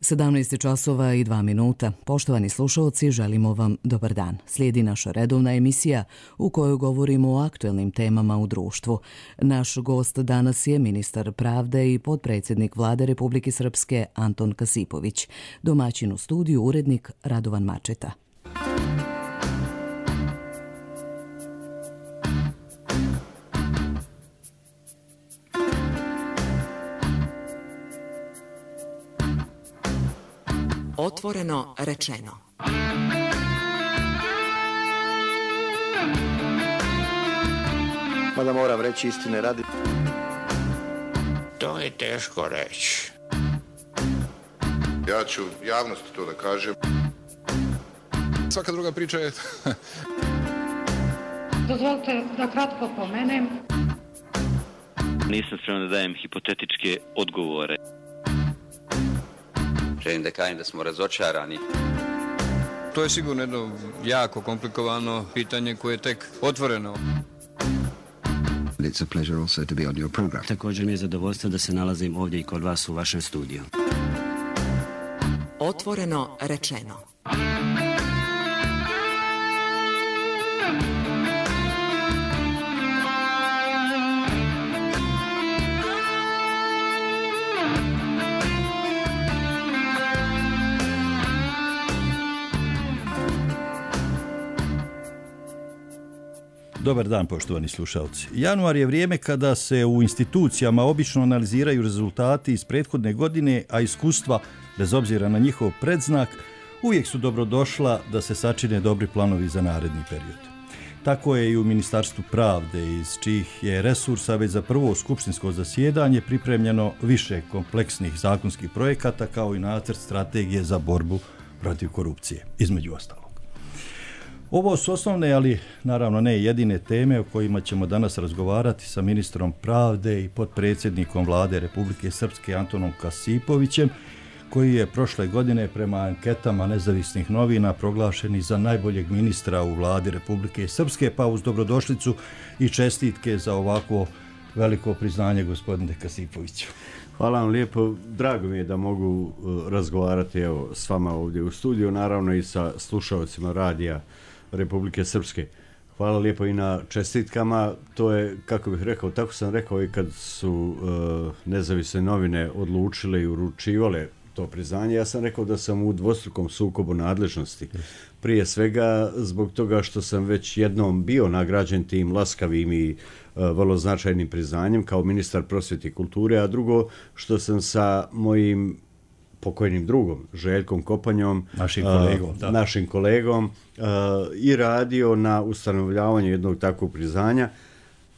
17 časova i 2 minuta. Poštovani slušalci, želimo vam dobar dan. Slijedi naša redovna emisija u kojoj govorimo o aktuelnim temama u društvu. Naš gost danas je ministar pravde i potpredsjednik Vlade Republike Srpske Anton Kasipović. Domaćin u studiju urednik Radovan Mačeta. Otvoreno rečeno. Mada moram reći istine radi. To je teško reći. Ja ću javnosti to da kažem. Svaka druga priča je... Dozvolite da kratko pomenem. Nisam spreman da dajem hipotetičke odgovore. Želim da kažem da smo razočarani. To je sigurno jedno jako komplikovano pitanje koje je tek otvoreno. It's a pleasure also to be on your program. Također mi je zadovoljstvo da se nalazim ovdje i kod vas u vašem studiju. Otvoreno rečeno. Dobar dan, poštovani slušalci. Januar je vrijeme kada se u institucijama obično analiziraju rezultati iz prethodne godine, a iskustva, bez obzira na njihov predznak, uvijek su dobrodošla da se sačine dobri planovi za naredni period. Tako je i u Ministarstvu pravde, iz čijih je resursa već za prvo skupštinsko zasjedanje pripremljeno više kompleksnih zakonskih projekata, kao i nacrt strategije za borbu protiv korupcije, između ostalog. Ovo su osnovne, ali naravno ne jedine teme o kojima ćemo danas razgovarati sa ministrom pravde i potpredsjednikom Vlade Republike Srpske Antonom Kasipovićem, koji je prošle godine prema anketama nezavisnih novina proglašeni za najboljeg ministra u Vladi Republike Srpske, pa uz dobrodošlicu i čestitke za ovako veliko priznanje, gospodine Kasipoviću. Hvala vam lijepo. Drago mi je da mogu razgovarati s vama ovdje u studiju, naravno i sa slušalcima radija Republike Srpske. Hvala lijepo i na čestitkama. To je, kako bih rekao, tako sam rekao i kad su nezavisne novine odlučile i uručivale to priznanje. Ja sam rekao da sam u dvostrukom sukobu nadležnosti. Prije svega zbog toga što sam već jednom bio nagrađen tim laskavim i vrlo značajnim priznanjem kao ministar prosvjete i kulture, a drugo što sam sa mojim pokojnim drugom, Željkom Kopanjom, našim kolegom i radio na ustanovljavanju jednog takvog priznanja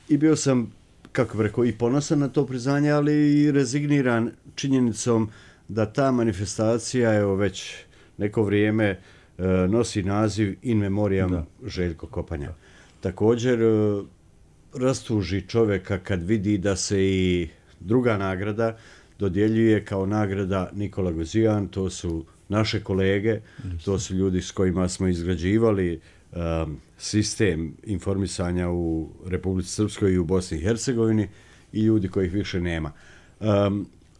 i bio sam, kako bih rekao, i ponosan na to priznanje, ali i rezigniran činjenicom da ta manifestacija evo već neko vrijeme nosi naziv In Memoriam Željko Kopanja. Također rastuži čovjeka kad vidi da se i druga nagrada dodjeljuje kao nagrada Nikola Gozijan. To su naše kolege, to su ljudi s kojima smo izgrađivali sistem informisanja u Republici Srpskoj i u Bosni i Hercegovini i ljudi kojih više nema.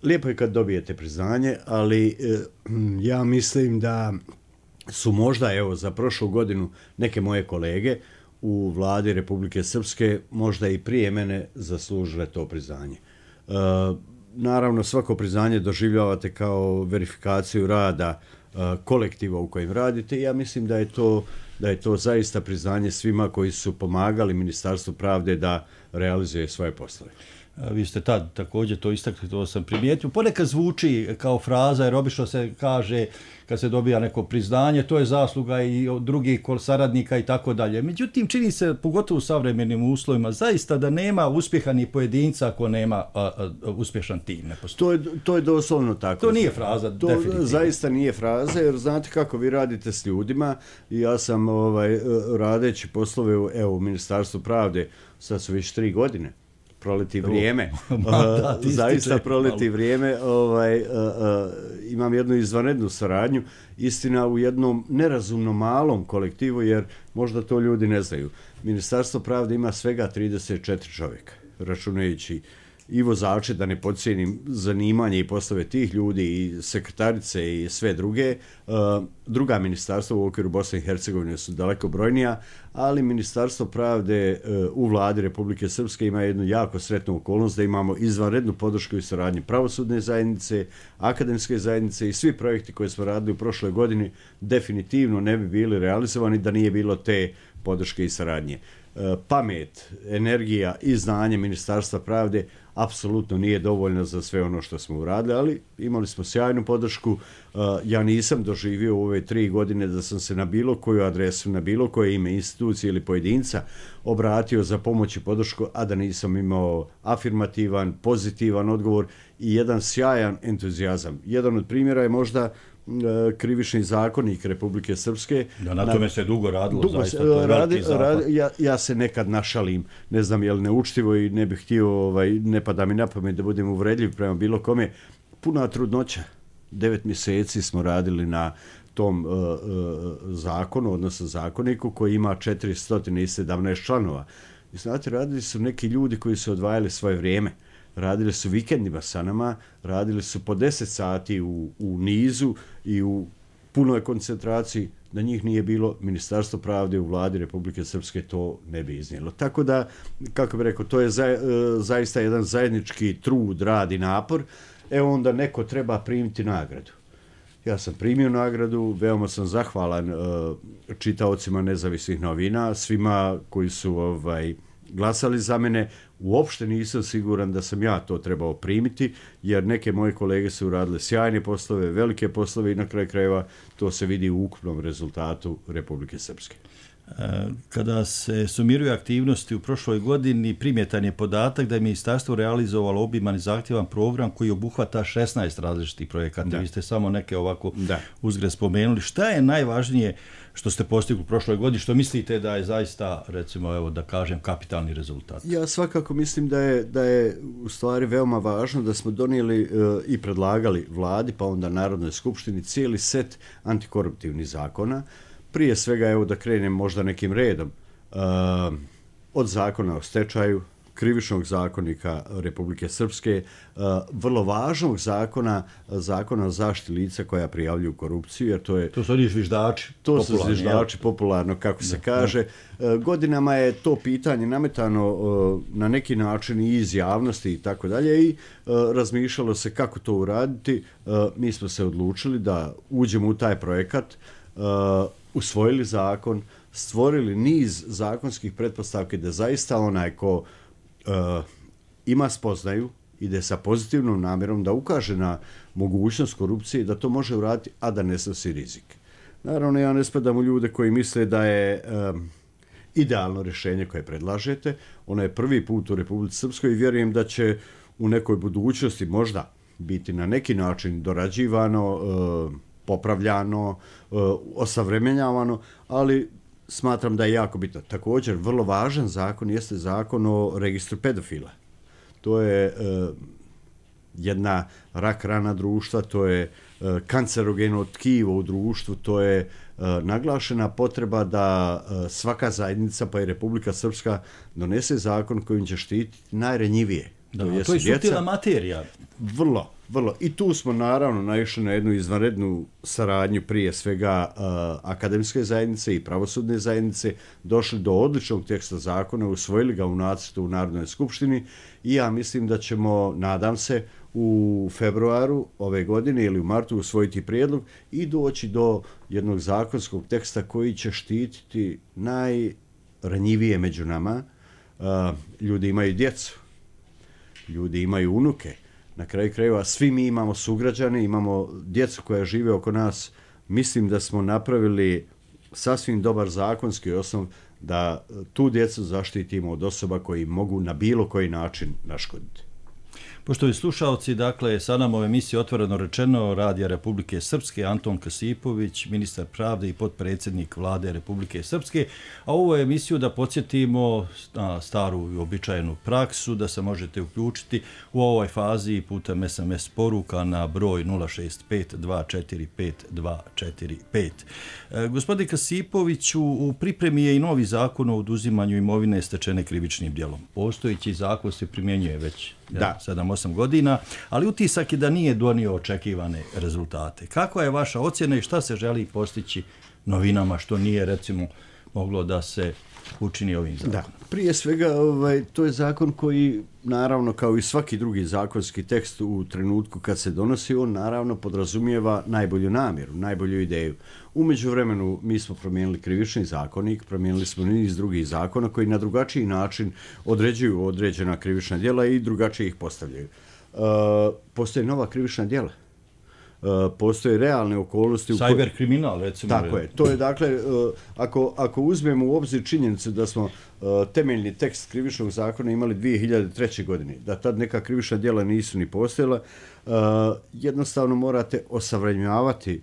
Lijepo je kad dobijete priznanje, ali ja mislim da su možda evo za prošlu godinu neke moje kolege u Vladi Republike Srpske možda i prije mene zaslužile to priznanje. Naravno, svako priznanje doživljavate kao verifikaciju rada kolektiva u kojem radite i ja mislim da je to zaista priznanje svima koji su pomagali Ministarstvu pravde da realizuje svoje poslove. Vi ste tad također to istakli, to sam primijetio. Ponekad zvuči kao fraza, jer obično se kaže kad se dobija neko priznanje, to je zasluga i od drugih saradnika i tako dalje. Međutim, čini se, pogotovo u savremenim uslovima, zaista da nema uspjeha ni pojedinca ako nema uspješan tim. Ne to je doslovno tako. To nije fraza, definitivno. To zaista nije fraza, jer znate kako vi radite s ljudima i ja sam radeći poslove u Ministarstvu pravde, sad su već 3 godine. Proleti vrijeme, zaista proleti vrijeme, imam jednu izvanrednu saradnju, istina u jednom nerazumno malom kolektivu, jer možda to ljudi ne znaju. Ministarstvo pravde ima svega 34 čovjeka, računajući i vozače, da ne podcijenim zanimanje i poslove tih ljudi i sekretarice i sve druge. Druga ministarstva u okviru Bosne i Hercegovine su daleko brojnija, ali Ministarstvo pravde u vladi Republike Srpske ima jednu jako sretnu okolnost da imamo izvanrednu podršku i saradnju pravosudne zajednice, akademske zajednice i svi projekti koje smo radili u prošloj godini definitivno ne bi bili realizovani da nije bilo te podrške i saradnje. Pamet, energija i znanje Ministarstva pravde apsolutno nije dovoljno za sve ono što smo uradili, ali imali smo sjajnu podršku. Ja nisam doživio u ove 3 godine da sam se na bilo koju adresu, na bilo koje ime institucije ili pojedinca obratio za pomoć i podršku, a da nisam imao afirmativan, pozitivan odgovor i jedan sjajan entuzijazam. Jedan od primjera je možda krivični zakonik Republike Srpske. Da, na tome se dugo radilo, zaista, to je veliki zapad. Ja se nekad našalim, ne znam je li neučtivo i ne bih htio, ne pada mi na pamet da budem uvredljiv prema bilo kome. Puna trudnoća, 9 mjeseci smo radili na tom zakonu, odnosno zakoniku koji ima 417 članova. I znate, radili su neki ljudi koji su odvajali svoje vrijeme. Radili su vikendima sa nama, radili su po 10 sati u nizu i u punoj koncentraciji. Da njih nije bilo, Ministarstvo pravde u vladi Republike Srpske to ne bi iznijelo. Tako da, kako bih rekao, to je zaista jedan zajednički trud, rad i napor. Onda neko treba primiti nagradu. Ja sam primio nagradu, veoma sam zahvalan čitaocima Nezavisnih novina, svima koji su glasali za mene. Uopšte nisam siguran da sam ja to trebao primiti, jer neke moje kolege su uradile sjajne poslove, velike poslove i na kraju krajeva to se vidi u ukupnom rezultatu Republike Srpske. Kada se sumiruju aktivnosti u prošloj godini, primjetan je podatak da je ministarstvo realizovalo obiman i zahtjevan program koji obuhvata 16 različitih projekata. Vi ste samo neke ovako uzgred spomenuli. Šta je najvažnije što ste postigli u prošloj godini, što mislite da je zaista, recimo, evo da kažem, kapitalni rezultat? Ja svakako mislim da je u stvari veoma važno da smo donijeli i predlagali vladi, pa onda Narodnoj skupštini, cijeli set antikoruptivnih zakona. Prije svega, evo da krenem možda nekim redom, od zakona o stečaju, krivičnog zakonika Republike Srpske, vrlo važnog zakona o zaštiti lica koja prijavljuju korupciju, jer to je... To su oni zviždači. To su zviždači, popularno, kako se kaže. Godinama je to pitanje nametano na neki način i iz javnosti i tako dalje i razmišljalo se kako to uraditi. Mi smo se odlučili da uđemo u taj projekat, usvojili zakon, stvorili niz zakonskih pretpostavki da zaista onaj ko ima spoznaju, ide sa pozitivnom namjerom da ukaže na mogućnost korupcije, da to može uraditi, a da ne snosi rizik. Naravno, ja ne spadam u ljude koji misle da je idealno rješenje koje predlažete. Ono je prvi put u Republici Srpskoj i vjerujem da će u nekoj budućnosti možda biti na neki način dorađivano, popravljano, osavremenjavano, ali smatram da je jako bitno. Također, vrlo važan zakon jeste zakon o registru pedofila. To je jedna rak rana društva, to je kancerogeno tkivo u društvu, to je naglašena potreba da svaka zajednica, pa i Republika Srpska, donese zakon kojim će štititi najranjivije. To je suptilna materija. Vrlo. I tu smo naravno naišli na jednu izvanrednu saradnju prije svega akademske zajednice i pravosudne zajednice, došli do odličnog teksta zakona, usvojili ga u nacrtu u Narodnoj skupštini i ja mislim da ćemo, nadam se, u februaru ove godine ili u martu usvojiti prijedlog i doći do jednog zakonskog teksta koji će štititi najranjivije među nama. Ljudi imaju djecu, ljudi imaju unuke. Na kraju krajeva svi mi imamo sugrađane, imamo djecu koja žive oko nas. Mislim da smo napravili sasvim dobar zakonski osnov da tu djecu zaštitimo od osoba koji mogu na bilo koji način naškoditi. Poštovani slušalci, dakle, sa nama u emisiji Otvoreno rečeno Radija Republike Srpske Anton Kasipović, ministar pravde i potpredsjednik vlade Republike Srpske, a ovu emisiju da podsjetimo na staru i običajenu praksu, da se možete uključiti u ovoj fazi putem SMS poruka na broj 065-245-245. Gospodin Kasipović, u pripremi je i novi zakon o oduzimanju imovine stečene krivičnim djelom. Postojeći zakon se primjenjuje već 7-8 godina, ali utisak je da nije donio očekivane rezultate. Kakva je vaša ocjena i šta se želi postići novinama što nije recimo moglo da se učini ovim zakonom? Da, prije svega to je zakon koji naravno kao i svaki drugi zakonski tekst u trenutku kad se donosi, on naravno podrazumijeva najbolju namjeru, najbolju ideju. U međuvremenu mi smo promijenili krivični zakonik, promijenili smo niz drugih zakona koji na drugačiji način određuju određena krivična djela i drugačije ih postavljaju. Postoje nova krivična djela. Postoje realne okolnosti. Cyber kriminal, recimo. Tako je. To je dakle, ako uzmemo u obzir činjenicu da smo temeljni tekst krivičnog zakona imali 2003. godine, da tad neka krivična djela nisu ni postojala, jednostavno morate osavremenjavati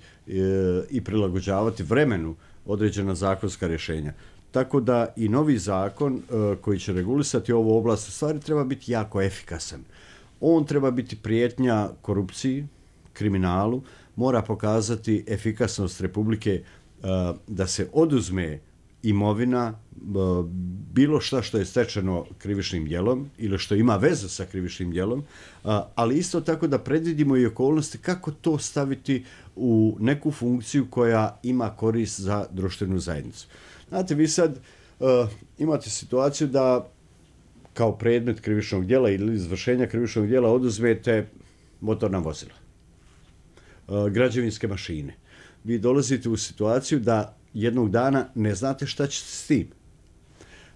i prilagođavati vremenu određena zakonska rješenja. Tako da i novi zakon koji će regulisati ovu oblast u stvari treba biti jako efikasan. On treba biti prijetnja korupciji, kriminalu, mora pokazati efikasnost Republike da se oduzme imovina, bilo šta što je stečeno krivičnim djelom ili što ima vezu sa krivičnim djelom, ali isto tako da predvidimo i okolnosti kako to staviti u neku funkciju koja ima korist za društvenu zajednicu. Znate, vi sad imate situaciju da kao predmet krivičnog djela ili izvršenja krivičnog djela oduzmete motorna vozila, građevinske mašine. Vi dolazite u situaciju da jednog dana ne znate šta ćete s tim.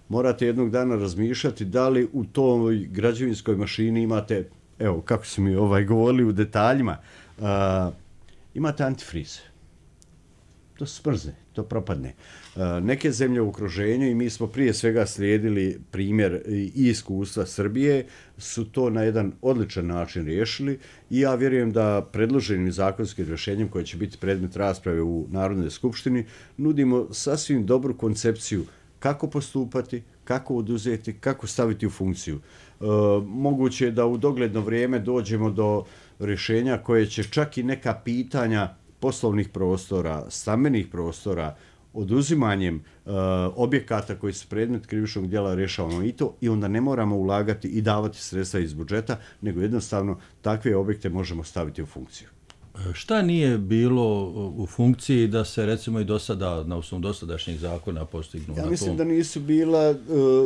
Morate jednog dana razmišljati da li u toj građevinskoj mašini imate, evo kako su mi govorili u detaljima, imate antifriz. To smrzne, to propadne. Neke zemlje u okruženju, i mi smo prije svega slijedili primjer i iskustva Srbije, su to na jedan odličan način riješili i ja vjerujem da predloženim zakonskim rješenjem koje će biti predmet rasprave u Narodnoj skupštini nudimo sasvim dobru koncepciju kako postupati, kako oduzeti, kako staviti u funkciju. Moguće je da u dogledno vrijeme dođemo do rješenja koje će čak i neka pitanja poslovnih prostora, stambenih prostora, oduzimanjem objekata koji su predmet krivičnog djela rješavamo i to, i onda ne moramo ulagati i davati sredstva iz budžeta, nego jednostavno takve objekte možemo staviti u funkciju. Šta nije bilo u funkciji da se recimo i do sada, na osnovu dosadašnjih zakona postignu? Ja mislim da nisu bila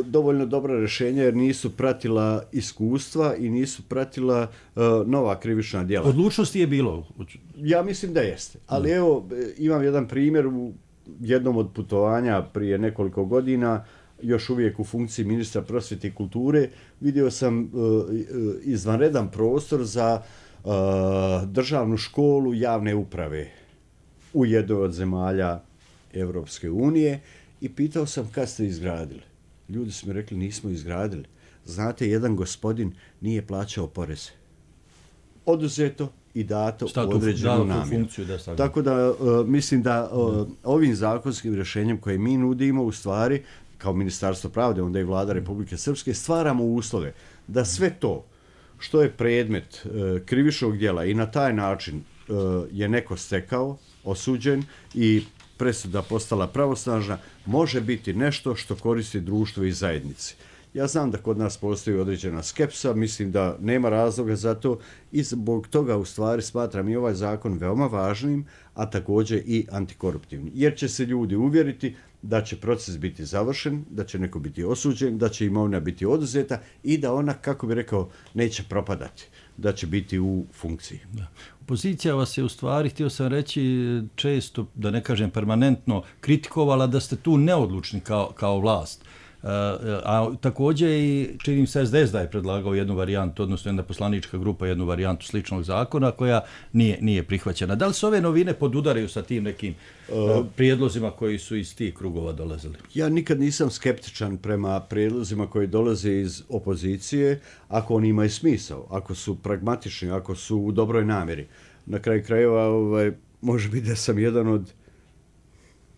dovoljno dobra rješenja jer nisu pratila iskustva i nisu pratila nova krivična djela. Odlučnosti je bilo? Ja mislim da jeste. Ali evo, imam jedan primjer u jednom od putovanja prije nekoliko godina, još uvijek u funkciji ministra prosvjete i kulture, vidio sam izvanredan prostor za državnu školu javne uprave u jednoj od zemalja Evropske unije i pitao sam kad ste izgradili. Ljudi su mi rekli nismo izgradili. Znate, jedan gospodin nije plaćao poreze. Oduzeto i dato u određenu namjeru. Tako da mislim da ovim zakonskim rješenjem koje mi nudimo u stvari kao Ministarstvo pravde, onda i Vlada Republike Srpske, stvaramo uslove da sve to što je predmet krivičnog djela i na taj način je neko stekao, osuđen i presuda postala pravosnažna, može biti nešto što koristi društvo i zajednici. Ja znam da kod nas postoji određena skepsa, mislim da nema razloga za to i zbog toga u stvari smatram i ovaj zakon veoma važnim, a također i antikoruptivnim. Jer će se ljudi uvjeriti da će proces biti završen, da će neko biti osuđen, da će imovina biti oduzeta i da ona, kako bi rekao, neće propadati, da će biti u funkciji. Da. Opozicija vas je u stvari, htio sam reći, često, da ne kažem permanentno, kritikovala da ste tu neodlučni kao vlast. A također i činim se SDS da je predlagao jednu varijantu, odnosno jedna poslanička grupa jednu varijantu sličnog zakona koja nije prihvaćena. Da li se ove novine podudaraju sa tim nekim prijedlozima koji su iz tih krugova dolazili? Ja nikad nisam skeptičan prema prijedlozima koji dolaze iz opozicije, ako oni imaju smisao, ako su pragmatični, ako su u dobroj namjeri. Na kraju krajeva može biti da sam jedan od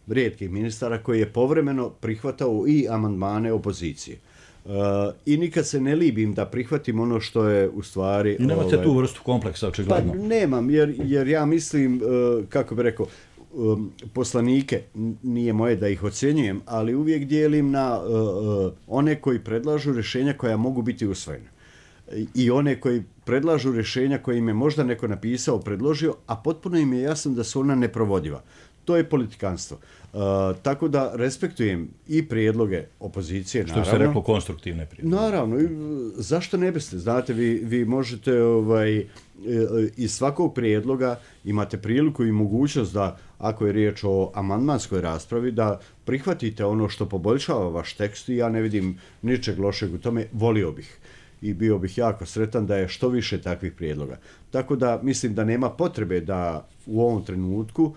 rijetkih ministara koji je povremeno prihvatao i amandmane opozicije. I nikad se ne libim da prihvatim ono što je u stvari... I nemate tu vrstu kompleksa, očigledno? Pa nemam, jer ja mislim, kako bi rekao, poslanike, nije moje da ih ocjenjujem, ali uvijek dijelim na one koji predlažu rješenja koja mogu biti usvojena. i one koji predlažu rješenja koje im je možda neko napisao, predložio, a potpuno im je jasno da su ona neprovodiva. To je politikanstvo. Tako da respektujem i prijedloge opozicije, naravno. Što se reklo, konstruktivne prijedloge. Naravno, zašto ne biste? Znate, vi možete iz svakog prijedloga imate priliku i mogućnost da, ako je riječ o amandmanskoj raspravi, da prihvatite ono što poboljšava vaš tekst i ja ne vidim ničeg lošeg u tome, volio bih. I bio bih jako sretan da je što više takvih prijedloga. Tako da mislim da nema potrebe da u ovom trenutku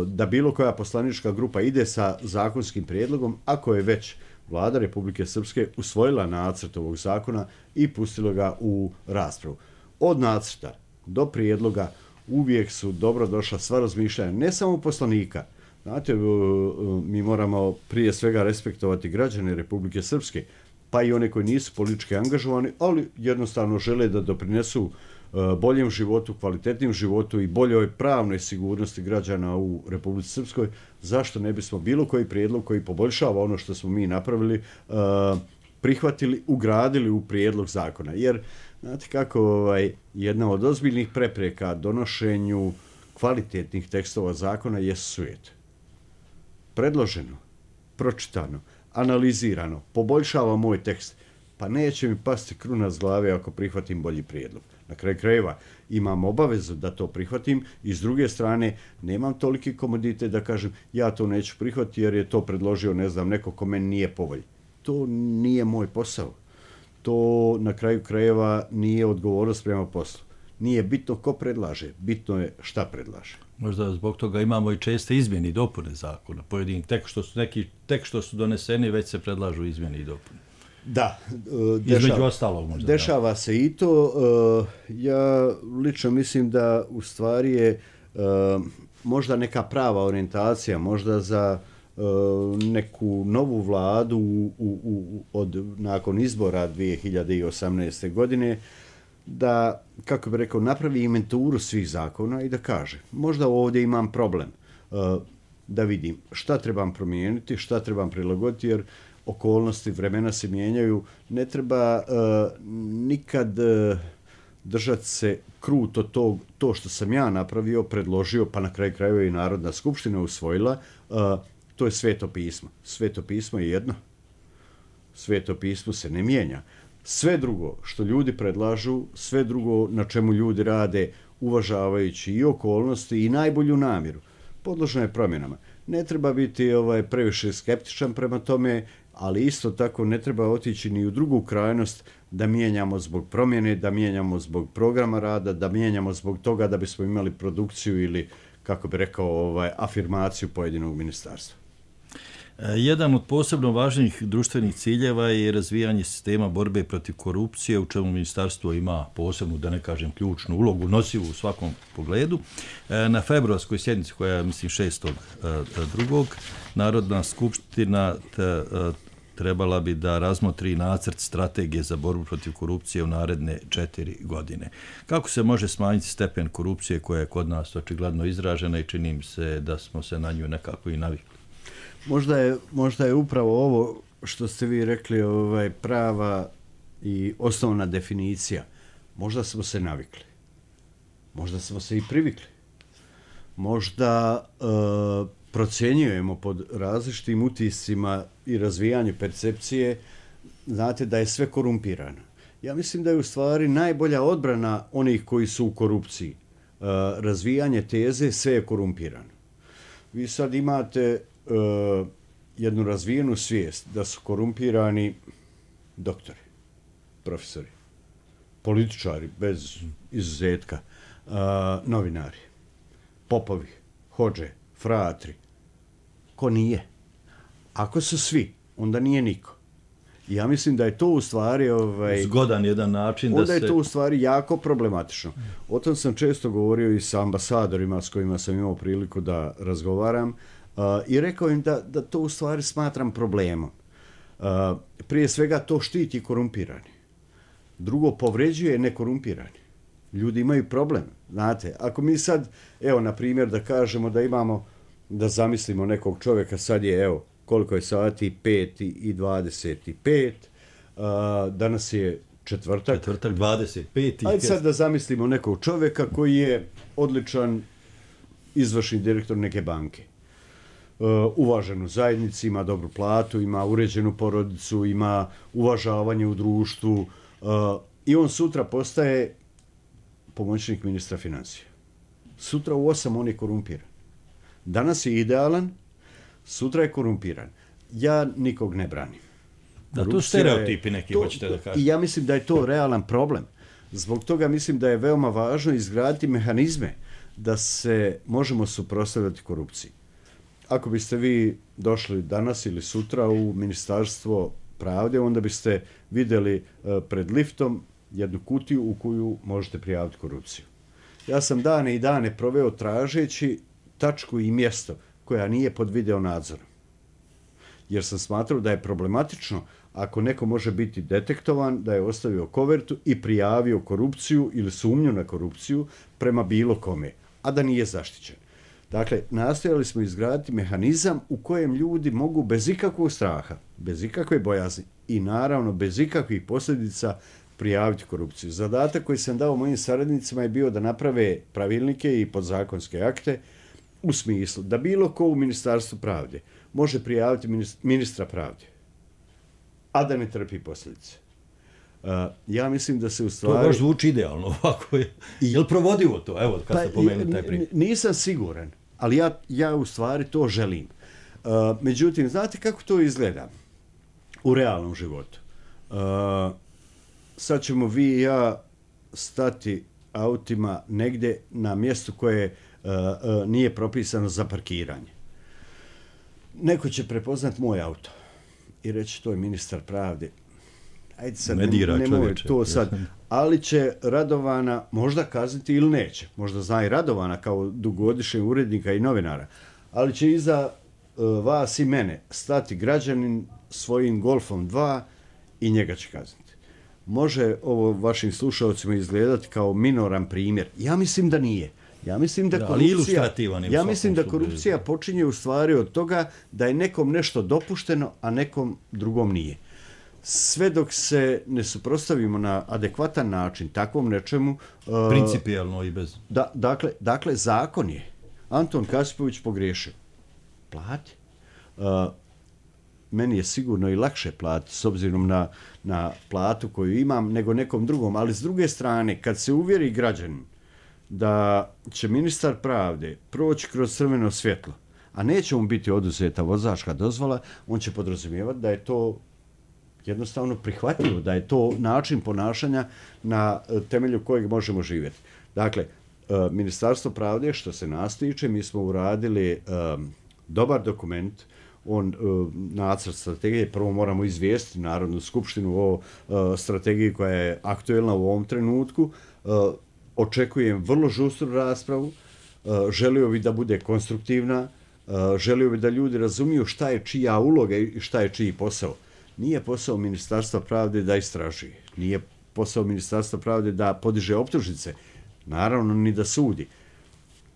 da bilo koja poslanička grupa ide sa zakonskim prijedlogom, ako je već Vlada Republike Srpske usvojila nacrt ovog zakona i pustila ga u raspravu. Od nacrta do prijedloga uvijek su dobro došla sva razmišljanja, ne samo poslanika. Znate, mi moramo prije svega respektovati građane Republike Srpske, pa i one koji nisu politički angažovani, ali jednostavno žele da doprinesu boljem životu, kvalitetnim životu i boljoj pravnoj sigurnosti građana u Republici Srpskoj. Zašto ne bismo bilo koji prijedlog koji poboljšava ono što smo mi napravili, prihvatili, ugradili u prijedlog zakona? Jer, znate kako, jedna od ozbiljnih prepreka donošenju kvalitetnih tekstova zakona je svijet. Predloženo, pročitano, analizirano, poboljšava moj tekst, pa neće mi pasti kruna s glave ako prihvatim bolji prijedlog. Na kraju krajeva imam obavezu da to prihvatim i s druge strane nemam toliki komoditet da kažem ja to neću prihvatiti jer je to predložio, ne znam, neko ko meni nije po volji. To nije moj posao. To na kraju krajeva nije odgovornost prema poslu. Nije bitno ko predlaže, bitno je šta predlaže. Možda zbog toga imamo i česte izmjene i dopune zakona. Pojedinih tek što su doneseni, već se predlažu izmjene i dopune. Da, između ostalog možda. Dešava se i to. Ja lično mislim da u stvari je možda neka prava orijentacija, možda za neku novu vladu nakon izbora 2018. godine, da, kako bih rekao, napravi inventuru svih zakona i da kaže, možda ovdje imam problem, da vidim šta trebam promijeniti, šta trebam prilagoditi, jer okolnosti, vremena se mijenjaju, ne treba nikad držati se kruto to što sam ja napravio, predložio, pa na kraju krajeva i Narodna skupština usvojila, to je Sveto pismo. Sveto pismo je jedno. Sveto pismo se ne mijenja. Sve drugo što ljudi predlažu, sve drugo na čemu ljudi rade, uvažavajući i okolnosti i najbolju namjeru, podložno je promjenama. Ne treba biti previše skeptičan prema tome, ali isto tako ne treba otići ni u drugu krajnost da mijenjamo zbog promjene, da mijenjamo zbog programa rada, da mijenjamo zbog toga da bismo imali produkciju ili, kako bi rekao, afirmaciju pojedinog ministarstva. Jedan od posebno važnih društvenih ciljeva je razvijanje sistema borbe protiv korupcije, u čemu ministarstvo ima posebnu, da ne kažem ključnu ulogu, nosivu u svakom pogledu. Na februarskoj sjednici, koja je, mislim, 6.2. Narodna skupština trebala bi da razmotri nacrt strategije za borbu protiv korupcije u naredne 4 godine. Kako se može smanjiti stepen korupcije koja je kod nas očigledno izražena i čini mi se da smo se na nju nekako i navikli? Možda je upravo ovo što ste vi rekli prava i osnovna definicija. Možda smo se navikli. Možda smo se i privikli. Možda procjenjujemo pod različitim utiscima i razvijanju percepcije, znate, da je sve korumpirano. Ja mislim da je u stvari najbolja odbrana onih koji su u korupciji. Razvijanje teze, sve je korumpirano. Vi sad imate jednu razvijenu svijest da su korumpirani doktori, profesori, političari bez izuzetka, novinari, popovi, hodže, fratri. Ko nije? Ako su svi, onda nije niko. Ja mislim da je to u stvari zgodan jedan način onda je to u stvari jako problematično. O tom sam često govorio i sa ambasadorima s kojima sam imao priliku da razgovaram i rekao im da to u stvari smatram problemom. Prije svega to štiti korumpirani. Drugo, povređuje nekorumpirani. Ljudi imaju problem. Znate, ako mi sad, evo, na primjer, da kažemo da imamo, da zamislimo nekog čovjeka, sad je, evo, koliko je sati, 5:25, danas je četvrtak 25. Ajde sad da zamislimo nekog čovjeka koji je odličan izvršni direktor neke banke. Uvažen u zajednici, ima dobru platu, ima uređenu porodicu, ima uvažavanje u društvu i on sutra postaje pomoćnik ministra financija. Sutra u 8 on je korumpiran. Danas je idealan, sutra je korumpiran. Ja nikog ne branim. Da, to stereotipi neki hoćete da kažete. I ja mislim da je to realan problem. Zbog toga mislim da je veoma važno izgraditi mehanizme da se možemo suprotstavljati korupciji. Ako biste vi došli danas ili sutra u Ministarstvo pravde, onda biste vidjeli pred liftom jednu kutiju u koju možete prijaviti korupciju. Ja sam dane i dane proveo tražeći tačku i mjesto koja nije pod video nadzorom. Jer sam smatrao da je problematično ako neko može biti detektovan, da je ostavio kovertu i prijavio korupciju ili sumnju na korupciju prema bilo kome, a da nije zaštićen. Dakle, nastojali smo izgraditi mehanizam u kojem ljudi mogu bez ikakvog straha, bez ikakve bojazni i naravno bez ikakvih posljedica prijaviti korupciju. Zadatak koji sam dao mojim saradnicima je bio da naprave pravilnike i podzakonske akte u smislu da bilo ko u Ministarstvu pravde može prijaviti ministra pravde, a da ne trpi posljedice. Ja mislim da se u stvari... To baš zvuči idealno ovako. Je li provodivo to? Evo, kad ste pomenuli taj primjer. Nisam siguran, ali ja u stvari to želim. Međutim, znate kako to izgleda u realnom životu? Sad ćemo vi i ja stati autima negdje na mjestu koje nije propisano za parkiranje. Neko će prepoznat moj auto i reći to je ministar pravde. Ajde sad, nemoj to sad. Ali će Radovana možda kazniti ili neće. Možda zna i Radovana kao dugogodišnjeg urednika i novinara. Ali će iza vas i mene stati građanin svojim Golfom 2 i njega će kazniti. Može ovo vašim slušalcima izgledati kao minoran primjer. Ja mislim da nije. Ja mislim da korupcija počinje u stvari od toga da je nekom nešto dopušteno, a nekom drugom nije. Sve dok se ne suprotstavimo na adekvatan način takvom nečemu... Principijalno i bez... Dakle, zakon je. Anton Kasipović pogriješio. Plati. Meni je sigurno i lakše platiti s obzirom na platu koju imam nego nekom drugom. Ali s druge strane, kad se uvjeri građanin da će ministar pravde proći kroz crveno svjetlo, a neće mu biti oduzeta vozačka dozvola, on će podrazumijevati da je to jednostavno prihvatljivo, da je to način ponašanja na temelju kojeg možemo živjeti. Dakle, Ministarstvo pravde, što se nas tiče, mi smo uradili dobar dokument, nacrt strategije, prvo moramo izvijestiti Narodnu skupštinu o strategiji koja je aktuelna u ovom trenutku. Očekujem vrlo žustru raspravu, želio bih da bude konstruktivna, želio bih da ljudi razumiju šta je čija uloga i šta je čiji posao. Nije posao Ministarstva pravde da istražuje, nije posao Ministarstva pravde da podiže optužnice, naravno ni da sudi.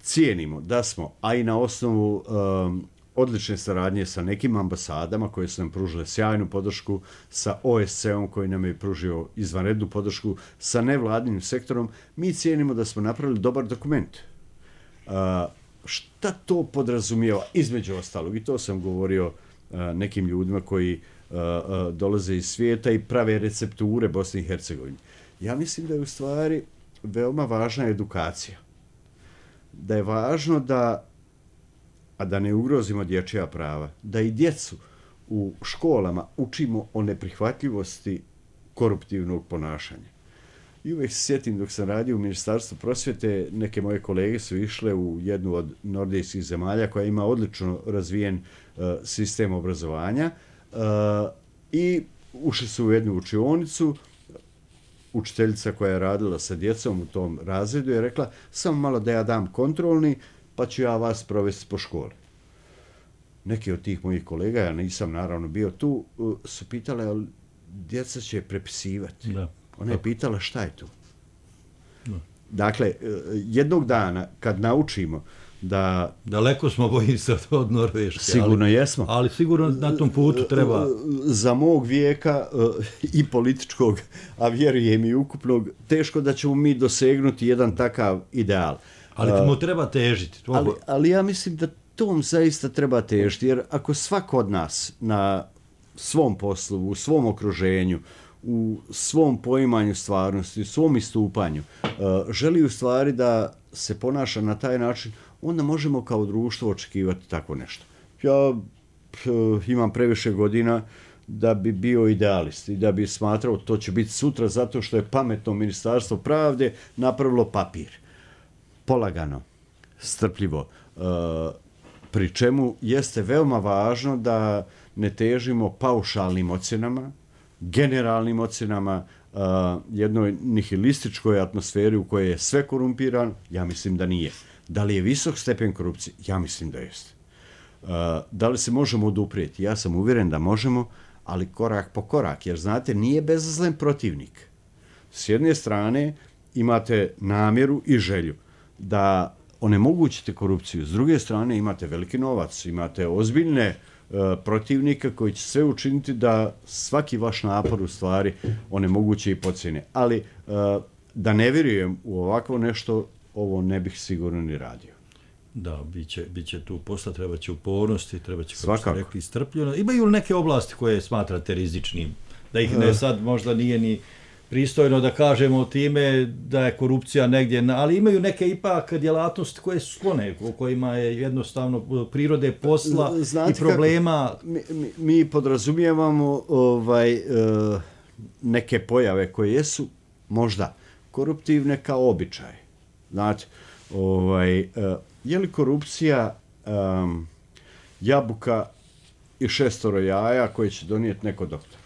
Cijenimo da smo, a i na osnovu odlične saradnje sa nekim ambasadama koje su nam pružile sjajnu podršku, sa OSCE-om koji nam je pružio izvanrednu podršku, sa nevladinim sektorom, mi cijenimo da smo napravili dobar dokument. Šta to podrazumijeva? Između ostalog, i to sam govorio nekim ljudima koji dolaze iz svijeta i prave recepture Bosne i Hercegovine. Ja mislim da je u stvari veoma važna edukacija. Da je važno a da ne ugrozimo dječja prava, da i djecu u školama učimo o neprihvatljivosti koruptivnog ponašanja. I uvijek se sjetim dok sam radio u Ministarstvu prosvjete, neke moje kolege su išle u jednu od nordijskih zemalja koja ima odlično razvijen sistem obrazovanja i ušli su u jednu učionicu. Učiteljica koja je radila sa djecom u tom razredu je rekla samo malo da ja dam kontrolni, pa ću ja vas provesti po školi. Neki od tih mojih kolega, ja nisam naravno bio tu, su pitale, ali djeca će prepisivati. Da. Ona je pitala šta je tu. Da. Dakle, jednog dana kad naučimo da... Daleko smo, bojim se, od Norveške. Sigurno jesmo. Ali sigurno na tom putu treba... Za mog vijeka i političkog, a vjerujem i ukupnog, teško da ćemo mi dosegnuti jedan takav ideal. Ali mu treba težiti. Ali ja mislim da tom zaista treba težiti, jer ako svako od nas na svom poslu, u svom okruženju, u svom poimanju stvarnosti, u svom istupanju, želi u stvari da se ponaša na taj način, onda možemo kao društvo očekivati tako nešto. Ja imam previše godina da bi bio idealist i da bi smatrao to će biti sutra zato što je pametno Ministarstvo pravde napravilo papir. Polagano, strpljivo, pri čemu jeste veoma važno da ne težimo paušalnim ocjenama, generalnim ocjenama, jednoj nihilističkoj atmosferi u kojoj je sve korumpirano, ja mislim da nije. Da li je visok stepen korupcije? Ja mislim da jeste. Da li se možemo oduprijeti? Ja sam uvjeren da možemo, ali korak po korak, jer znate, nije bezazlen protivnik. S jedne strane imate namjeru i želju da onemogućite korupciju, s druge strane imate veliki novac, imate ozbiljne protivnika koji će sve učiniti da svaki vaš napor u stvari onemoguće i pocijene. Ali da ne vjerujem u ovakvo nešto, ovo ne bih sigurno ni radio. Da, bit će tu posla, treba će upornosti, treba će, kako ste rekli, strpljenost. Imaju li neke oblasti koje smatrate rizičnim? Da ih ne sad možda nije ni pristojno da kažemo time da je korupcija negdje, ali imaju neke ipak djelatnosti koje su sklone, u kojima je jednostavno prirode posla i problema. Mi podrazumijevamo neke pojave koje jesu možda koruptivne kao običaj. Znate, je li korupcija jabuka i 6 jaja koje će donijeti neko doktor?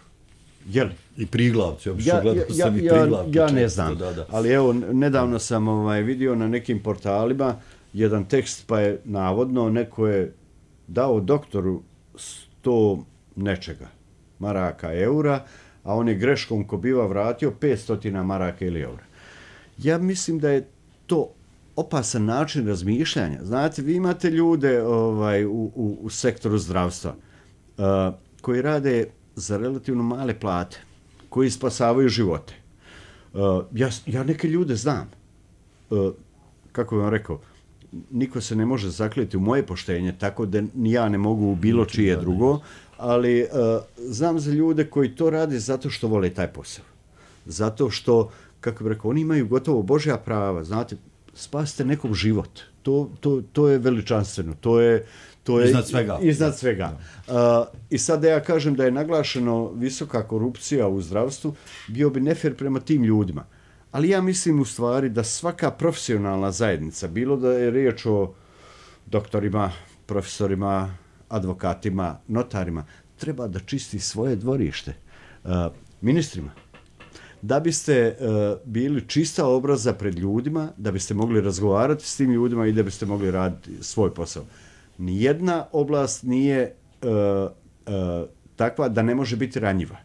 Je li? I priglavci, ja ne znam, ali evo, nedavno sam vidio na nekim portalima jedan tekst, pa je navodno neko je dao doktoru 100 nečega, maraka, eura, a on je greškom ko biva vratio 500 maraka ili eura. Ja mislim da je to opasan način razmišljanja. Znate, vi imate ljude u sektoru zdravstva koji rade za relativno male plate, koji spasavaju živote. Ja neke ljude znam. Kako bih vam rekao, niko se ne može zakljeti u moje poštenje, tako da ni ja ne mogu u bilo čije drugo, ali znam za ljude koji to rade zato što vole taj posao. Zato što, kako bih rekao, oni imaju gotovo Božja prava. Znate, spasite nekog život. To je veličanstveno. To je iznad svega. I sad da ja kažem da je naglašeno visoka korupcija u zdravstvu, bio bi nefer prema tim ljudima. Ali ja mislim u stvari da svaka profesionalna zajednica, bilo da je riječ o doktorima, profesorima, advokatima, notarima, treba da čisti svoje dvorište. Ministrima, da biste bili čista obraza pred ljudima, da biste mogli razgovarati s tim ljudima i da biste mogli raditi svoj posao. Nijedna oblast nije takva da ne može biti ranjiva.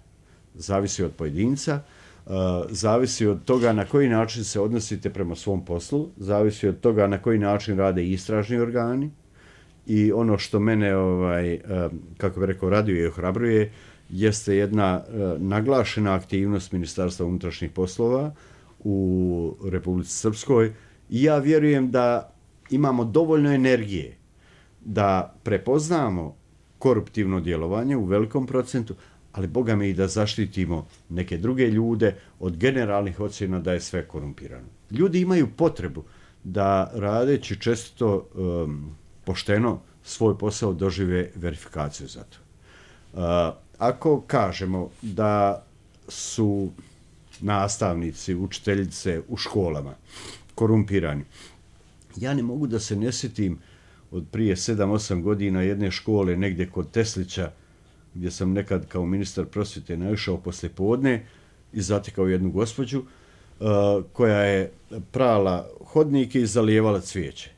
Zavisi od pojedinca, zavisi od toga na koji način se odnosite prema svom poslu, zavisi od toga na koji način rade istražni organi i ono što mene, kako bih rekao, raduje i ohrabruje, jeste jedna naglašena aktivnost Ministarstva unutrašnjih poslova u Republici Srpskoj i ja vjerujem da imamo dovoljno energije da prepoznamo koruptivno djelovanje u velikom procentu, ali Boga mi i da zaštitimo neke druge ljude od generalnih ocjena da je sve korumpirano. Ljudi imaju potrebu da radeći često pošteno svoj posao dožive verifikaciju za to. Ako kažemo da su nastavnici, učiteljice u školama korumpirani, ja ne mogu da se ne sjetim od prije 7-8 godina jedne škole negdje kod Teslića, gdje sam nekad kao ministar prosvjete naišao poslije podne i zatekao jednu gospođu koja je prala hodnike i zalijevala cvijeće.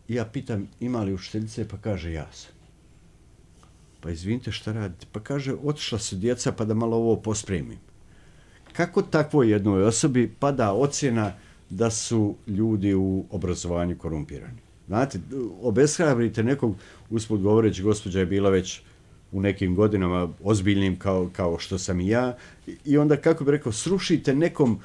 I ja pitam, ima li učiteljice? Pa kaže, ja sam. Pa izvinite, šta radite? Pa kaže, otišla su djeca pa da malo ovo pospremim. Kako takvoj jednoj osobi pada ocjena da su ljudi u obrazovanju korumpirani? Znate, obeshrabrite nekog, usput govoreći, gospođa je bila već u nekim godinama ozbiljnim kao što sam i ja, i onda, kako bi rekao, srušite nekom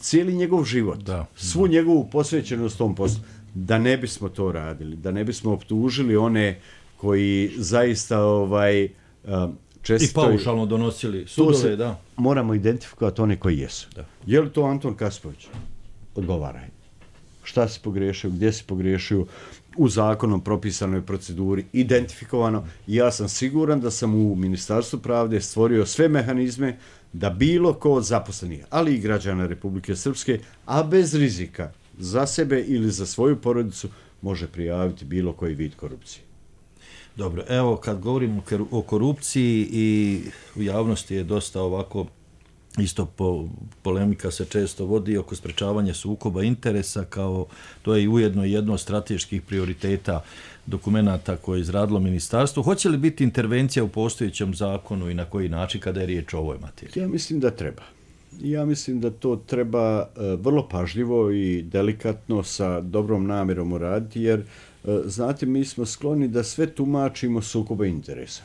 cijeli njegov život, svu njegovu posvećenost tom poslu, da ne bismo to radili, da ne bismo optužili one koji zaista često... I paušalno donosili sudove, da. Moramo identifikovati one koji jesu. Da. Je li to Anton Kaspović? Odgovaraj. Šta si pogriješio, gdje si pogriješio, u zakonom propisanoj proceduri, identifikovano. I ja sam siguran da sam u Ministarstvu pravde stvorio sve mehanizme da bilo ko od zaposlenih, ali i građana Republike Srpske, a bez rizika za sebe ili za svoju porodicu, može prijaviti bilo koji vid korupcije. Dobro, evo kad govorimo o korupciji i u javnosti je dosta ovako, isto polemika se često vodi oko sprečavanja sukoba interesa, kao to je i ujedno jedno od strateških prioriteta dokumenata koje je izradilo ministarstvo. Hoće li biti intervencija u postojećem zakonu i na koji način kada je riječ o ovoj materiji? Ja mislim da treba. Ja mislim da to treba vrlo pažljivo i delikatno sa dobrom namjerom uraditi, jer znate, mi smo skloni da sve tumačimo sukoba interesa.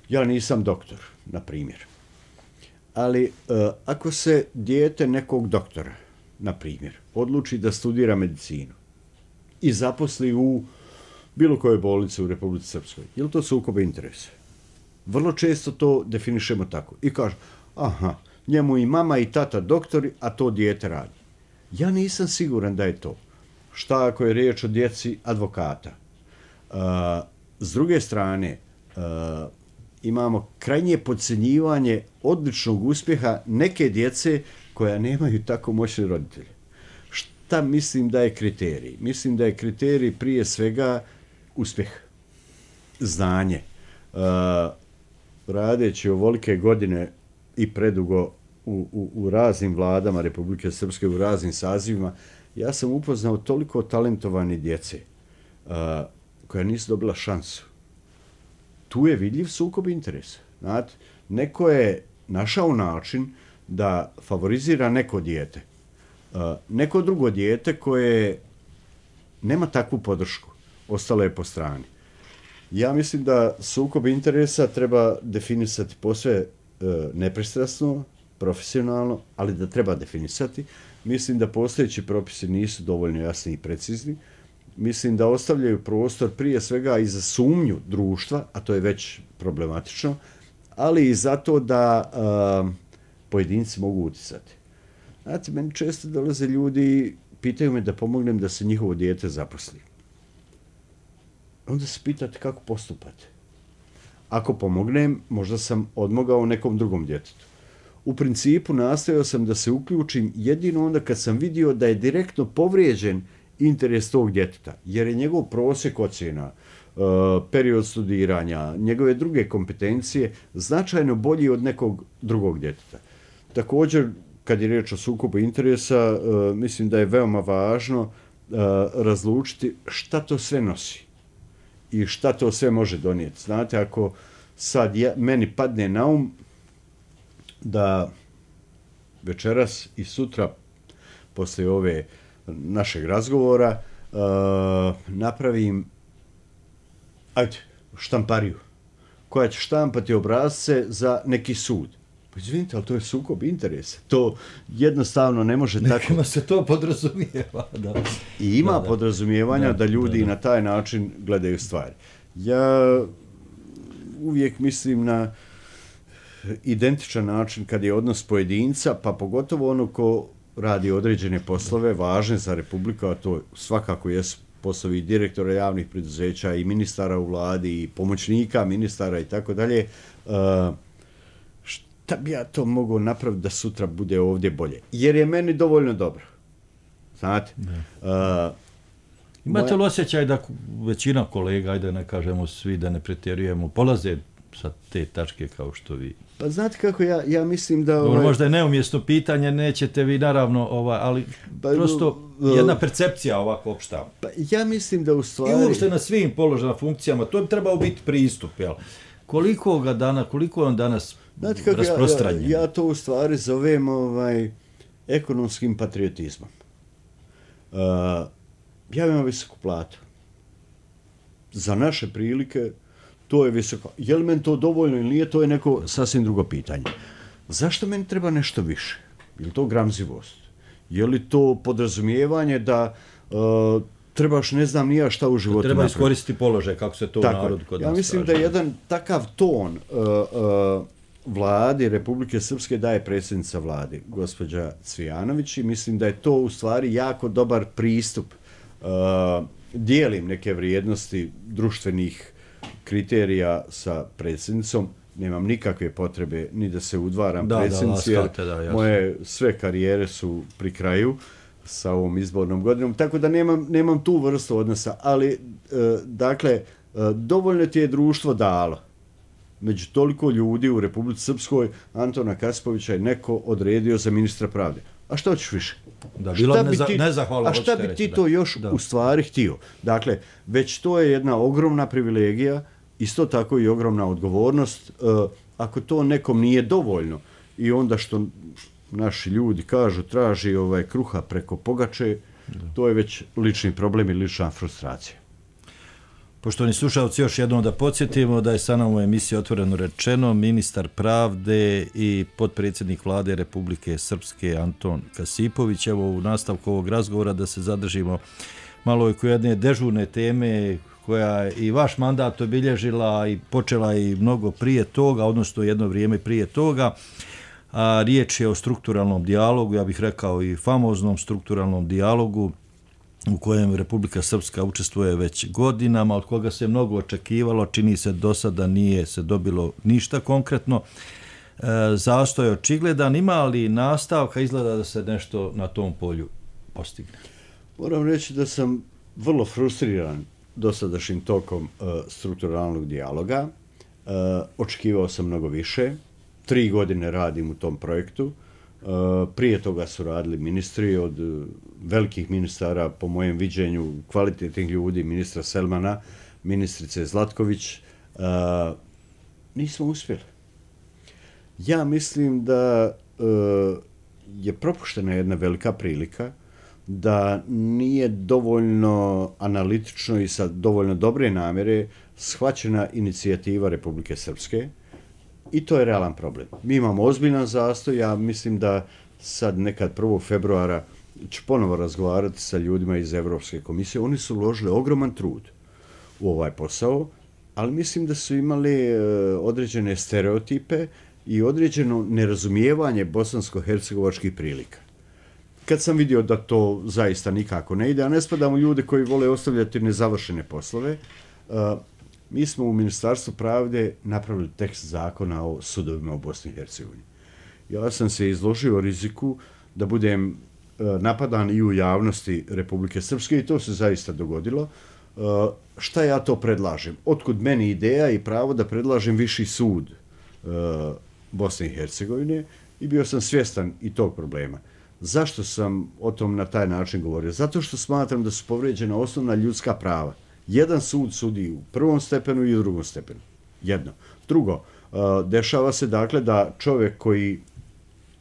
Ja nisam doktor, na primjer. Ali ako se dijete nekog doktora, na primjer, odluči da studira medicinu i zaposli u bilo kojoj bolnici u Republici Srpskoj, je li to sukob interesa? Vrlo često to definišemo tako. I kažu, aha, njemu i mama i tata doktori, a to dijete radi. Ja nisam siguran da je to. Šta ako je riječ o djeci advokata? S druge strane, imamo krajnje podcjenjivanje odličnog uspjeha neke djece koja nemaju tako moćne roditelje. Šta mislim da je kriterij? Mislim da je kriterij prije svega uspjeh, znanje. Radeći ovolike godine i predugo u raznim vladama Republike Srpske, u raznim sazivima, ja sam upoznao toliko talentovane djece koja nisu dobila šansu. Tu je vidljiv sukob interesa. Znate, neko je našao način da favorizira neko dijete. Neko drugo dijete koje nema takvu podršku, ostalo je po strani. Ja mislim da sukob interesa treba definisati posve nepristrasno, profesionalno, ali da treba definisati. Mislim da postojeći propisi nisu dovoljno jasni i precizni. Mislim da ostavljaju prostor prije svega i za sumnju društva, a to je već problematično, ali i zato da pojedinci mogu utjecati. Znate, meni često dolaze ljudi, pitaju me da pomognem da se njihovo dijete zaposli. Onda se pitate kako postupate. Ako pomognem, možda sam odmogao nekom drugom djetetu. U principu nastojao sam da se uključim jedino onda kad sam vidio da je direktno povrijeđen interes tog djeteta, jer je njegov prosjek ocjena, period studiranja, njegove druge kompetencije značajno bolji od nekog drugog djeteta. Također, kad je riječ o sukobu interesa, mislim da je veoma važno razlučiti šta to sve nosi i šta to sve može donijeti. Znate, ako sad meni padne na um da večeras i sutra, poslije ove našeg razgovora, napravim štampariju koja će štampati obrasce za neki sud. Pa izvinite, ali to je sukob interesa. To jednostavno ne može tako... Nekima se to podrazumijeva. Da. I ima podrazumijevanja da ljudi na taj način gledaju stvari. Ja uvijek mislim na identičan način kad je odnos pojedinca, pa pogotovo ono ko radi određene poslove važne za Republiku, a to svakako jesu poslovi direktora javnih preduzeća i ministara u vladi i pomoćnika ministara i tako dalje. Šta bi ja to mogao napraviti da sutra bude ovdje bolje? Jer je meni dovoljno dobro. Znate? Imate li osjećaj da većina kolega, ajde ne kažemo svi, da ne pretjerujemo, polaze sa te tačke kao što vi? Pa znate kako ja mislim da... Dobro, možda je neumjesno pitanje, nećete vi naravno, ali prosto jedna percepcija ovako opšta. Pa ja mislim da u stvari... I uopšte na svim položajima, funkcijama, to bi trebao biti pristup, jel? Koliko je on danas rasprostranjen? Ja to u stvari zovem ekonomskim patriotizmom. ja imam visoku platu. Za naše prilike to je visoko. Je li meni to dovoljno ili nije, to je neko sasvim drugo pitanje. Zašto meni treba nešto više? Je li to gramzivost? Je li to podrazumijevanje da trebaš ne znam nija šta u životu treba napraviti? iskoristiti položaj, kako se to u narodu kod nas ja mislim traži. da jedan takav ton vladi Republike Srpske daje predsjednica vlade, gospođa Cvijanović, i mislim da je to u stvari jako dobar pristup. Dijelim neke vrijednosti društvenih kriterija sa predsjednicom, nemam nikakve potrebe ni da se udvaram predsjednici, jer moje sve karijere su pri kraju sa ovom izbornom godinom, tako da nemam tu vrstu odnosa, ali dakle, dovoljno ti je društvo dalo. Među toliko ljudi u Republici Srpskoj Antona Kasipovića je neko odredio za ministra pravde. A što ćeš više? A šta bi ti to još u stvari htio? Dakle, već to je jedna ogromna privilegija, isto tako i ogromna odgovornost. Ako to nekom nije dovoljno i onda što naši ljudi kažu traži kruha preko pogače, to je već lični problem i lična frustracija. Poštovani slušalci, još jednom da podsjetimo da je sa nama u emisiji Otvoreno rečeno ministar pravde i potpredsjednik vlade Republike Srpske Anton Kasipović. Evo u nastavku ovog razgovora da se zadržimo malo oko jedne dežurne teme koja je i vaš mandat obilježila i počela i mnogo prije toga, odnosno jedno vrijeme prije toga. A riječ je o strukturalnom dijalogu, ja bih rekao i famoznom strukturalnom dijalogu u kojem Republika Srpska učestvuje već godinama, od koga se mnogo očekivalo, čini se do sada nije se dobilo ništa konkretno. Zastoj je očigledan, ima li nastavka, izgleda da se nešto na tom polju postigne? Moram reći da sam vrlo frustriran dosadašnjim tokom strukturalnog dijaloga. Očekivao sam mnogo više. 3 godine radim u tom projektu. Prije toga su radili ministri, od velikih ministara, po mojem viđenju, kvalitetnih ljudi, ministra Selmana, ministrice Zlatković. Nismo uspjeli. Ja mislim da je propuštena jedna velika prilika, da nije dovoljno analitično i sa dovoljno dobre namjere shvaćena inicijativa Republike Srpske. I to je realan problem. Mi imamo ozbiljan zastoj, ja mislim da sad nekad 1. februara ću ponovo razgovarati sa ljudima iz Evropske komisije. Oni su uložili ogroman trud u ovaj posao, ali mislim da su imali određene stereotipe i određeno nerazumijevanje bosansko-hercegovačkih prilika. Kad sam vidio da to zaista nikako ne ide, a ne spadamo ljude koji vole ostavljati nezavršene poslove, mi smo u Ministarstvu pravde napravili tekst zakona o sudovima u Bosni i Hercegovini. Ja sam se izložio riziku da budem napadan i u javnosti Republike Srpske i to se zaista dogodilo. Šta ja to predlažem? Otkud meni ideja i pravo da predlažem viši sud Bosne i Hercegovine i bio sam svjestan i tog problema. Zašto sam o tom na taj način govorio? Zato što smatram da su povrijeđena osnovna ljudska prava. Jedan sud sudi u prvom stepenu i u drugom stepenu. Jedno. Drugo, dešava se dakle da čovjek koji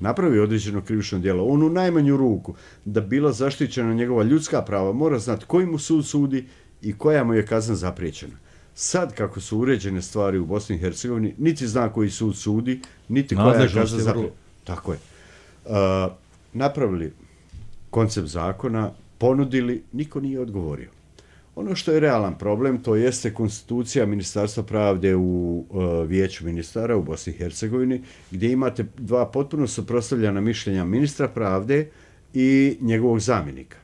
napravi određeno krivično djelo, on u najmanju ruku, da bila zaštićena njegova ljudska prava, mora znati koji mu sud sudi i koja mu je kazna zapriječena. Sad, kako su uređene stvari u Bosni i Hercegovini, niti zna koji sud sudi, niti koja je kazna zapriječena. Tako je. Napravili koncept zakona, ponudili, niko nije odgovorio. Ono što je realan problem, to jeste konstitucija Ministarstva pravde u Vijeću ministara u Bosni i Hercegovini, gdje imate dva potpuno suprotstavljena mišljenja ministra pravde i njegovog zamjenika.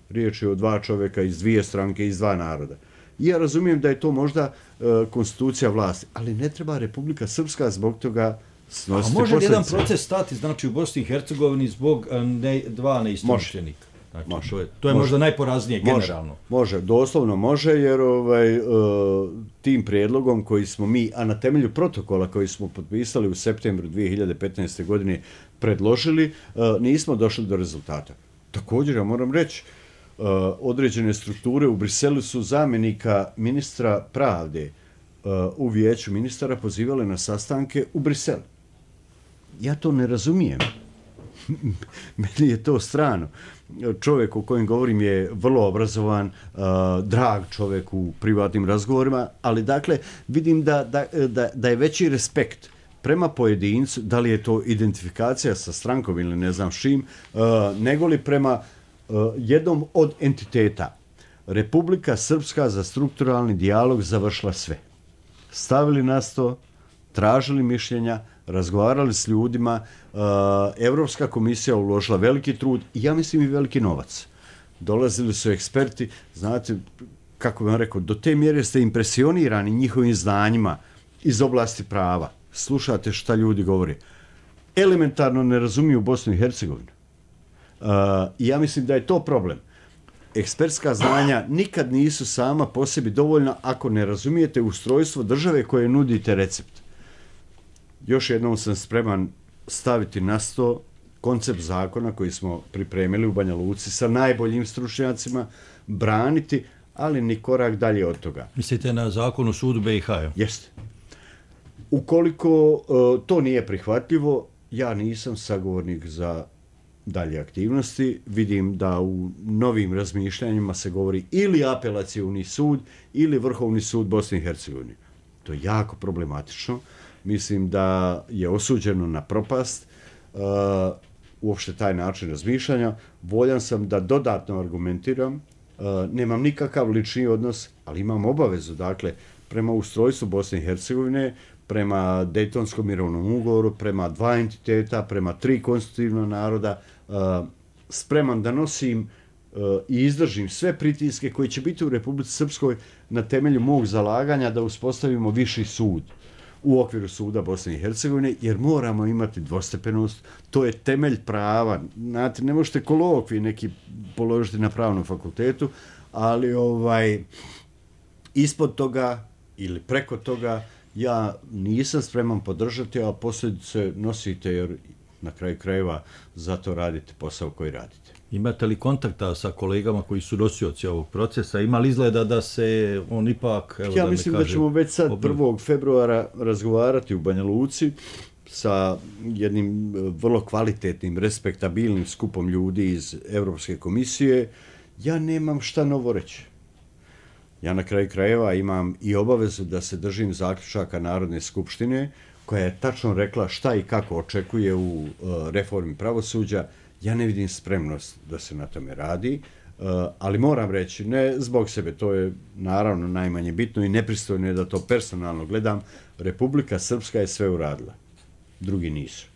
Riječ je o dva čovjeka iz dvije stranke, iz dva naroda. I ja razumijem da je to možda konstitucija vlasti, ali ne treba Republika Srpska zbog toga snositi posljedice. A može jedan proces stati, znači u Bosni i Hercegovini zbog dva neistomišljenika? Znači, to je možda najporaznije generalno. Može, doslovno može, jer tim prijedlogom koji smo mi, a na temelju protokola koji smo potpisali u septembru 2015. godine predložili, nismo došli do rezultata. Također, ja moram reći, određene strukture u Briselu su zamjenika ministra pravde u Vijeću ministara pozivale na sastanke u Briselu. Ja to ne razumijem. Meni je to strano. čovjek o kojem govorim je vrlo obrazovan, drag čovjek u privatnim razgovorima, ali dakle vidim da je veći respekt prema pojedincu, da li je to identifikacija sa strankom ili ne znam šim, nego li prema jednom od entiteta. Republika Srpska za strukturalni dijalog završila sve. Stavili na sto, tražili mišljenja, razgovarali s ljudima, Evropska komisija uložila veliki trud i ja mislim i veliki novac. Dolazili su eksperti, znate, kako bih vam rekao, do te mjere ste impresionirani njihovim znanjima iz oblasti prava. Slušate šta ljudi govore. Elementarno ne razumiju Bosnu i Hercegovinu. I ja mislim da je to problem. Ekspertska znanja nikad nisu sama po sebi dovoljna ako ne razumijete ustrojstvo države koje nudite recept. Još jednom sam spreman staviti na sto koncept zakona koji smo pripremili u Banja Luci sa najboljim stručnjacima, braniti, ali ni korak dalje od toga. Mislite na zakon o sudu BiH? Jeste. Ukoliko to nije prihvatljivo, ja nisam sagovornik za dalje aktivnosti. Vidim da u novim razmišljanjima se govori ili apelacioni sud ili Vrhovni sud Bosne i Hercegovine. To je jako problematično. Mislim da je osuđeno na propast uopšte taj način razmišljanja. Voljan sam da dodatno argumentiram. Nemam nikakav lični odnos, ali imam obavezu, dakle, prema ustrojstvu Bosne i Hercegovine, prema Dejtonskom mirovnom ugovoru, prema 2 entiteta, prema 3 konstitutivna naroda, spreman da nosim i izdržim sve pritiske koji će biti u Republici Srpskoj na temelju mog zalaganja da uspostavimo viši sud u okviru suda Bosne i Hercegovine, jer moramo imati dvostepenost, to je temelj prava. Znate, ne možete kolokvij neki položiti na pravnom fakultetu, ali ispod toga ili preko toga ja nisam spreman podržati, a posljedice nosite jer na kraju krajeva zato radite posao koji radite. Imate li kontakta sa kolegama koji su nosioci ovog procesa? Ima li izgleda da se on ipak... Ja mislim da ćemo već sad 1. februara razgovarati u Banja Luci sa jednim vrlo kvalitetnim, respektabilnim skupom ljudi iz Evropske komisije. Ja nemam šta novo reći. Ja na kraju krajeva imam i obavezu da se držim zaključaka Narodne skupštine koja je tačno rekla šta i kako očekuje u reformi pravosuđa. Ja ne vidim spremnost da se na tome radi, ali moram reći, ne zbog sebe, to je naravno najmanje bitno i nepristojno je da to personalno gledam, Republika Srpska je sve uradila, drugi nisu.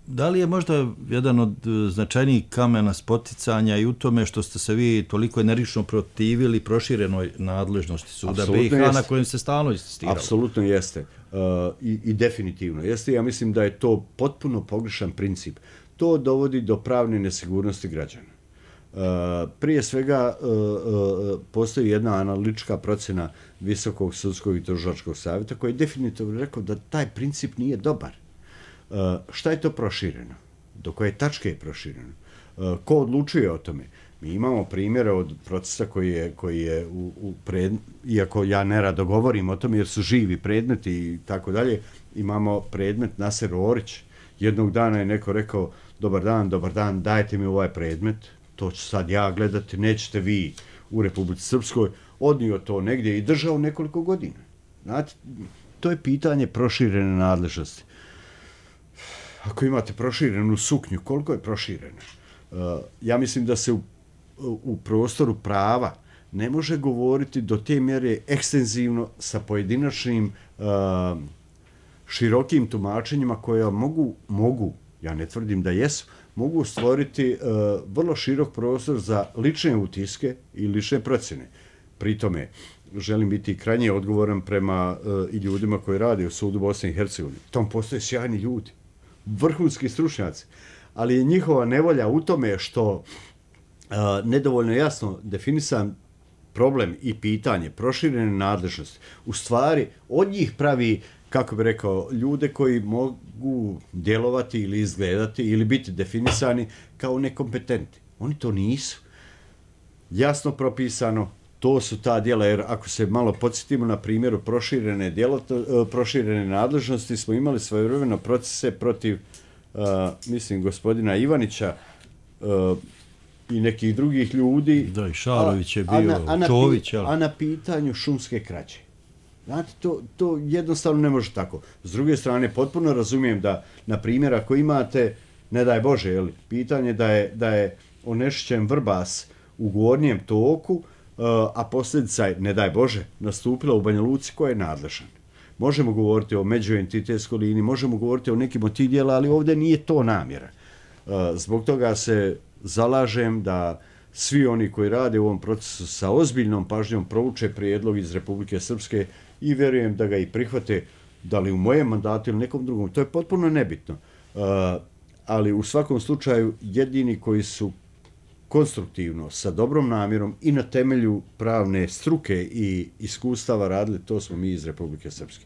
Da li je možda jedan od značajnijih kamena spoticanja i u tome što ste se vi toliko energično protivili proširenoj nadležnosti suda BiH na kojem se stalno insistiralo? Apsolutno jeste. I definitivno jeste. Ja mislim da je to potpuno pogrešan princip. To dovodi do pravne nesigurnosti građana. Prije svega postoji jedna analitička procjena Visokog sudskog i tužilačkog savjeta koji je definitivno rekao da taj princip nije dobar. Šta je to prošireno? Do koje tačke je prošireno? Ko odlučuje o tome? Mi imamo primjere od procesa koji je iako ja nerado govorim o tome jer su živi predmeti i tako dalje, imamo predmet Naser Orić. Jednog dana je neko rekao dobar dan, dajte mi ovaj predmet, to ću sad ja gledati, nećete vi u Republici Srpskoj, odnio to negdje i držao nekoliko godina. Znate, to je pitanje proširene nadležnosti. Ako imate proširenu suknju, koliko je proširena? Ja mislim da se u prostoru prava ne može govoriti do te mjere ekstenzivno sa pojedinačnim širokim tumačenjima koja mogu, ja ne tvrdim da jesu, mogu stvoriti vrlo širok prostor za lične utiske i lične procjene. Pri tome želim biti krajnje odgovoran prema i ljudima koji rade u sudu Bosne i Hercegovine. Tom postoje sjajni ljudi, vrhunski stručnjaci, ali je njihova nevolja u tome što nedovoljno jasno definisan problem i pitanje proširene nadležnosti u stvari od njih pravi, kako bi rekao, ljude koji mogu djelovati ili izgledati ili biti definisani kao nekompetentni. Oni to nisu. Jasno propisano, to su ta djela, jer ako se malo podsjetimo na primjeru proširene nadležnosti, smo imali svojevremeno procese protiv, mislim, gospodina Ivanića, i nekih drugih ljudi. Da, i Šarović je bio, Čović. A na pitanju šumske krađe. Znate, to jednostavno ne može tako. S druge strane, potpuno razumijem da, na primjer, ako imate, ne daj Bože, pitanje da je onečišćen Vrbas u gornjem toku, a posljedica je, ne daj Bože, nastupila u Banja Luci, ko je nadležan. Možemo govoriti o međuentitetskoj liniji, možemo govoriti o nekim od tih dijela, ali ovdje nije to namjera. Zbog toga se zalažem da svi oni koji rade u ovom procesu sa ozbiljnom pažnjom prouče prijedlog iz Republike Srpske i vjerujem da ga i prihvate, da li u mojem mandatu ili nekom drugom. To je potpuno nebitno. Ali u svakom slučaju jedini koji su konstruktivno, sa dobrom namjerom i na temelju pravne struke i iskustava radili, to smo mi iz Republike Srpske.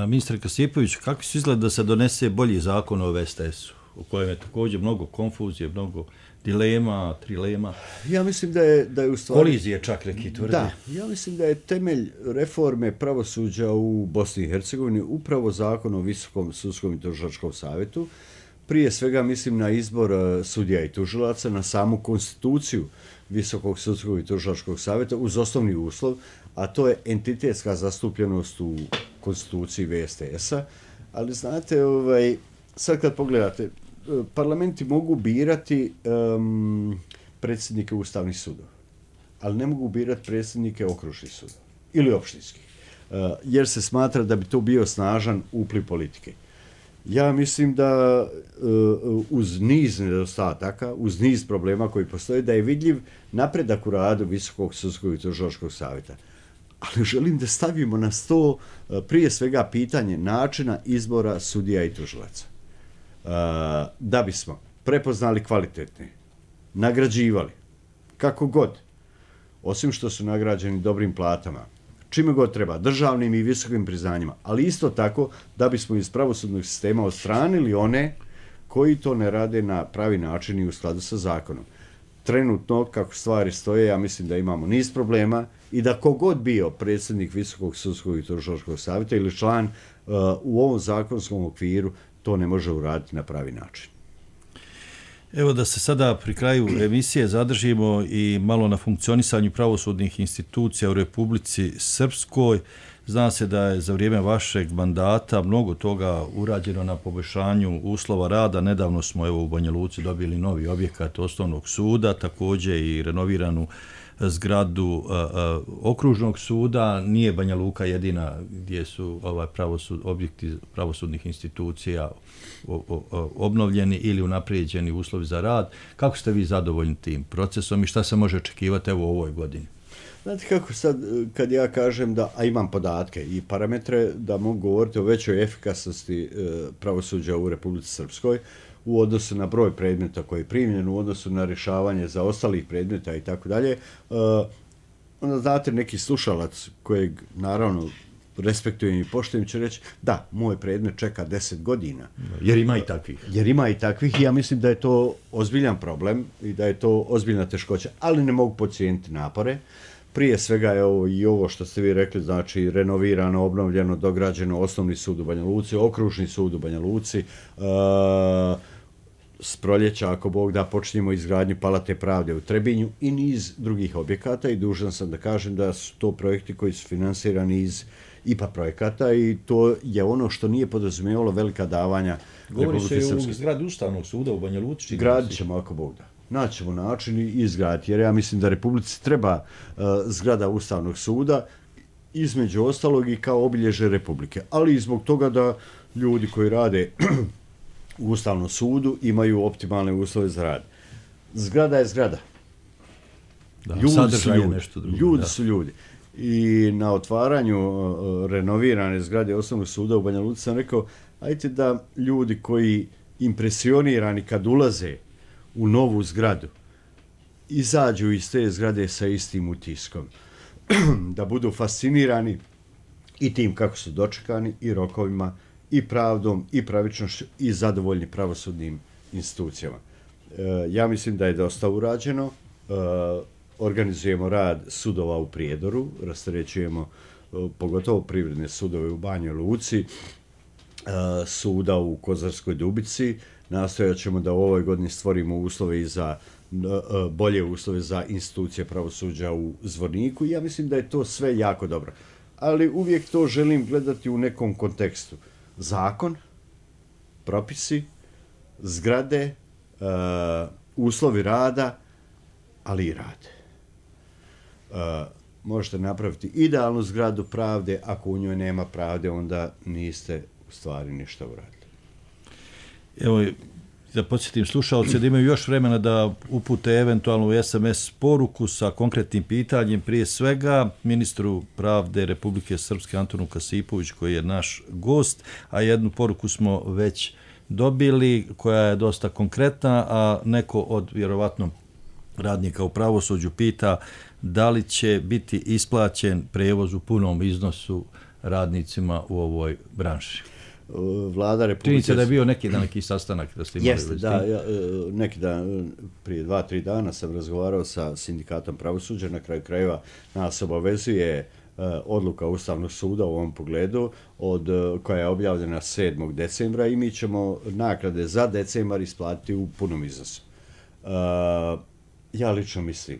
Ministar Kasipović, kako se izgleda da se donese bolji zakon o VSTS-u, u kojem je također mnogo konfuzije, mnogo dilema, trilema? Ja mislim da je u stvari... Kolizije čak neki tvrdi. Da, ja mislim da je temelj reforme pravosuđa u Bosni i Hercegovini upravo zakon o Visokom sudskom i tužilačkom savjetu. Prije svega mislim na izbor sudija i tužilaca, na samu konstituciju Visokog sudskog i tužilačkog savjeta uz osnovni uslov, a to je entitetska zastupljenost u konstituciji VSTS-a. Ali znate, sad kad pogledate, parlamenti mogu birati predsjednike ustavnih sudova, ali ne mogu birati predsjednike okružnih sudova ili opštinskih, jer se smatra da bi to bio snažan upliv politike. Ja mislim da uz niz nedostataka, uz niz problema koji postoje, da je vidljiv napredak u radu Visokog sudskog i tužilačkog savjeta. Ali želim da stavimo na sto prije svega pitanje načina izbora sudija i tužilaca. Da bismo prepoznali kvalitetne, nagrađivali, kako god, osim što su nagrađeni dobrim platama, čime god treba, državnim i visokim priznanjima, ali isto tako da bismo iz pravosudnog sistema odstranili one koji to ne rade na pravi način i u skladu sa zakonom. Trenutno, kako stvari stoje, ja mislim da imamo niz problema i da kogod bio predsjednik Visokog sudskog i tužilačkog savjeta ili član u ovom zakonskom okviru to ne može uraditi na pravi način. Evo da se sada pri kraju emisije zadržimo i malo na funkcionisanju pravosudnih institucija u Republici Srpskoj. Zna se da je za vrijeme vašeg mandata mnogo toga urađeno na poboljšanju uslova rada. Nedavno smo u Banja Luci dobili novi objekat osnovnog suda, također i renoviranu zgradu okružnog suda. Nije Banja Luka jedina gdje su objekti pravosudnih institucija obnovljeni ili unaprijeđeni uslovi za rad. Kako ste vi zadovoljni tim procesom i šta se može očekivati u ovoj godini? Znate kako sad, kad ja kažem da, a imam podatke i parametre, da mogu govoriti o većoj efikasnosti pravosuđa u Republici Srpskoj u odnosu na broj predmeta koji je primljen, u odnosu na rješavanje za ostalih predmeta i tako dalje, onda znate neki slušalac kojeg naravno respektujem i poštujem će reći da, moj predmet čeka 10 godina. Jer ima i takvih. Jer ima i takvih i ja mislim da je to ozbiljan problem i da je to ozbiljna teškoća, ali ne mogu podcijeniti napore. Prije svega je i ovo što ste vi rekli, znači renovirano, obnovljeno, dograđeno osnovni sud u Banja Luci, okružni sud u Banja Luci, s proljeća, ako Bog da, počinjemo izgradnju Palate pravde u Trebinju i niz drugih objekata i dužan sam da kažem da su to projekti koji su finansirani iz IPA projekata i to je ono što nije podrazumijevalo velika davanja. Govori se i u zgradi Ustavnog suda u Banja Luci. Gradit ćemo, ako Bog da. Naćemo način i izgraditi, jer ja mislim da Republici treba zgrada Ustavnog suda, između ostalog i kao obilježje Republike, ali i zbog toga da ljudi koji rade u Ustavnom sudu imaju optimalne uslove za rad. Zgrada je zgrada. Da, ljudi su ljudi. Nešto drugo, ljudi su ljudi. I na otvaranju renovirane zgrade Osnovnog suda u Banja Luci sam rekao, ajte da ljudi koji impresionirani kad ulaze u novu zgradu izađu iz te zgrade sa istim utiskom. Da budu fascinirani i tim kako su dočekani i rokovima i pravdom i pravičnošću i zadovoljni pravosudnim institucijama. Ja mislim da je dosta urađeno. Organizujemo rad sudova u Prijedoru, rasterećujemo pogotovo privredne sudove u Banjoj Luci. suda u Kozarskoj Dubici. Nastojat ćemo da u ovoj godini stvorimo uslove i za bolje uslove za institucije pravosuđa u Zvorniku. Ja mislim da je to sve jako dobro. Ali uvijek to želim gledati u nekom kontekstu. Zakon, propisi, zgrade, uslovi rada, ali i rad. Možete napraviti idealnu zgradu pravde, ako u njoj nema pravde, onda niste u stvari ništa uradili. Evo, da podsjetim slušalce da imaju još vremena da upute eventualnu SMS poruku sa konkretnim pitanjem, prije svega ministru pravde Republike Srpske Antonu Kasipović, koji je naš gost, a jednu poruku smo već dobili koja je dosta konkretna, a neko od vjerovatno radnika u pravosuđu pita da li će biti isplaćen prevoz u punom iznosu radnicima u ovoj branši. Vlada Republike... Čini se da je bio neki sastanak da ste imali. Jeste, da, neki dan, prije 2-3 dana sam razgovarao sa sindikatom pravosuđa, na kraju krajeva nas obavezuje odluka Ustavnog suda u ovom pogledu koja je objavljena 7. decembra i mi ćemo naknade za decembar isplatiti u punom iznosu. Ja lično mislim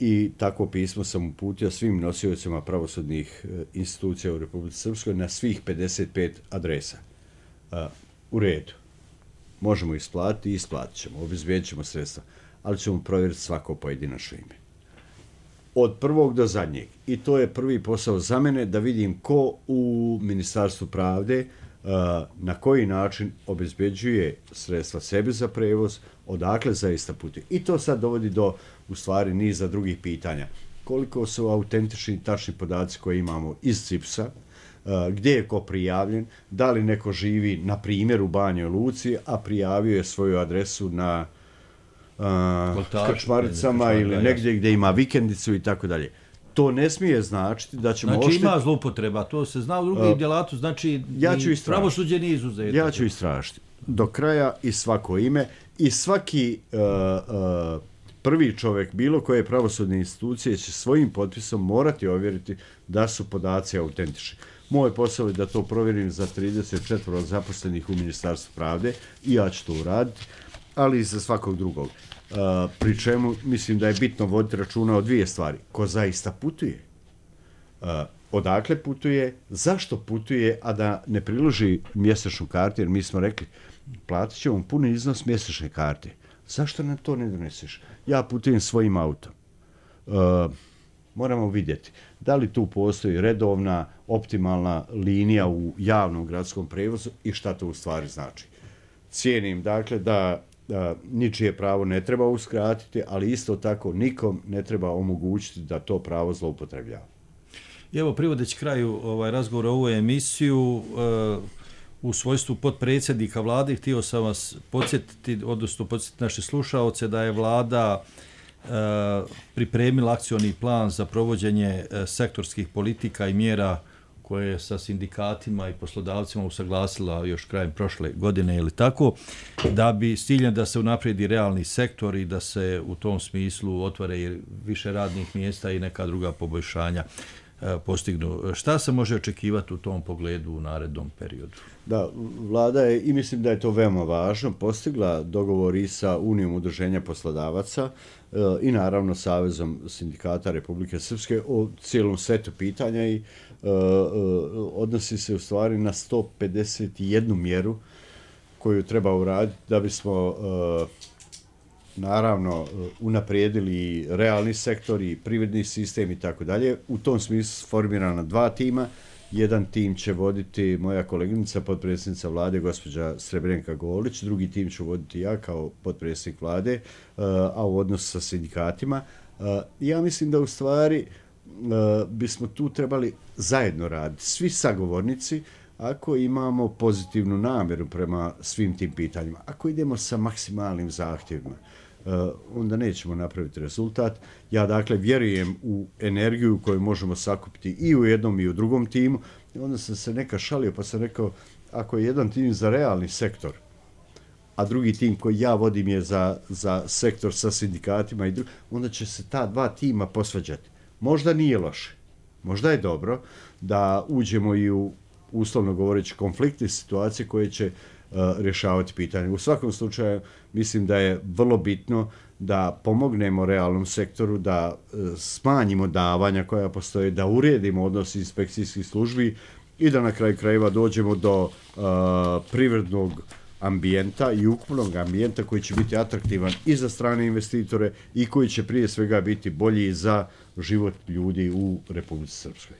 i tako pismo sam uputio svim nosiocima pravosudnih institucija u Republici Srpskoj na svih 55 adresa. U redu. Možemo isplatiti i isplatit ćemo, obezbijedit ćemo sredstva, ali ćemo provjeriti svako pojedinačno ime. Od prvog do zadnjeg. I to je prvi posao za mene, da vidim ko u Ministarstvu pravde na koji način obezbeđuje sredstva sebi za prevoz, odakle zaista putuje. I to sad dovodi do, u stvari, niza drugih pitanja. Koliko su autentični i tačni podaci koje imamo iz CIPS-a, gdje je ko prijavljen, da li neko živi, na primjer, u Banjoj Luci, a prijavio je svoju adresu na Krčmaricama ili negdje gdje ima vikendicu i tako dalje. To ne smije značiti da ćemo... Znači ima zloupotreba, to se zna u drugim djelatu, znači pravosuđe nije izuzeto. Ja ću istražiti do kraja i svako ime i svaki prvi čovjek bilo koje pravosudne institucije će svojim potpisom morati ovjeriti da su podaci autentični. Moj posao je da to provjerim za 34 zaposlenih u Ministarstvu pravde i ja ću to uraditi, ali i za svakog drugog. Pri čemu mislim da je bitno voditi računa o dvije stvari. Ko zaista putuje? Odakle putuje? Zašto putuje, a da ne priloži mjesečnu kartu? Jer mi smo rekli, platit ćemo puni iznos mjesečne karte. Zašto nam to ne doneseš? Ja putujem svojim autom. Moramo vidjeti da li tu postoji redovna, optimalna linija u javnom gradskom prevozu i šta to u stvari znači. Cijenim, dakle, da ničije pravo ne treba uskratiti, ali isto tako nikom ne treba omogućiti da to pravo zloupotrebljava. I evo, privodeći kraju razgovora o ovoj emisiju, u svojstvu potpredsjednika vlade, htio sam vas podsjetiti, odnosno podsjetiti naše slušaoce, da je vlada pripremila akcioni plan za provođenje sektorskih politika i mjera koje je sa sindikatima i poslodavcima usaglasila još krajem prošle godine ili tako, da bi s ciljem da se unaprijedi realni sektor i da se u tom smislu otvore više radnih mjesta i neka druga poboljšanja postignu. Šta se može očekivati u tom pogledu u narednom periodu? Da, vlada je, i mislim da je to veoma važno, postigla dogovor i sa Unijom udruženja poslodavaca i naravno Savezom sindikata Republike Srpske o cijelom setu pitanja i odnosi se u stvari na 151 mjeru koju treba uraditi da bismo naravno unaprijedili realni sektor i privredni sistem i tako dalje. U tom smislu formirana 2 tima. Jedan tim će voditi moja koleginica, potpredsjednica vlade, gospođa Srebrenka Golić. Drugi tim ću voditi ja kao potpredsjednik vlade, a u odnosu sa sindikatima. Ja mislim da u stvari bismo tu trebali zajedno raditi. Svi sagovornici, ako imamo pozitivnu namjeru prema svim tim pitanjima, ako idemo sa maksimalnim zahtjevima, onda nećemo napraviti rezultat. Ja dakle vjerujem u energiju koju možemo sakupiti i u jednom i u drugom timu. I onda sam se neka šalio pa sam rekao, ako je jedan tim za realni sektor, a drugi tim koji ja vodim je za sektor sa sindikatima, onda će se ta 2 tima posvađati. Možda nije loše, možda je dobro da uđemo i u uslovno govoreći konflikti, situacije koje će rješavati pitanje. U svakom slučaju mislim da je vrlo bitno da pomognemo realnom sektoru, da smanjimo davanja koja postoje, da uredimo odnos inspekcijskih službi i da na kraju krajeva dođemo do privrednog ambijenta i ukupnog ambijenta koji će biti atraktivan i za strane investitore i koji će prije svega biti bolji za život ljudi u Republici Srpskoj.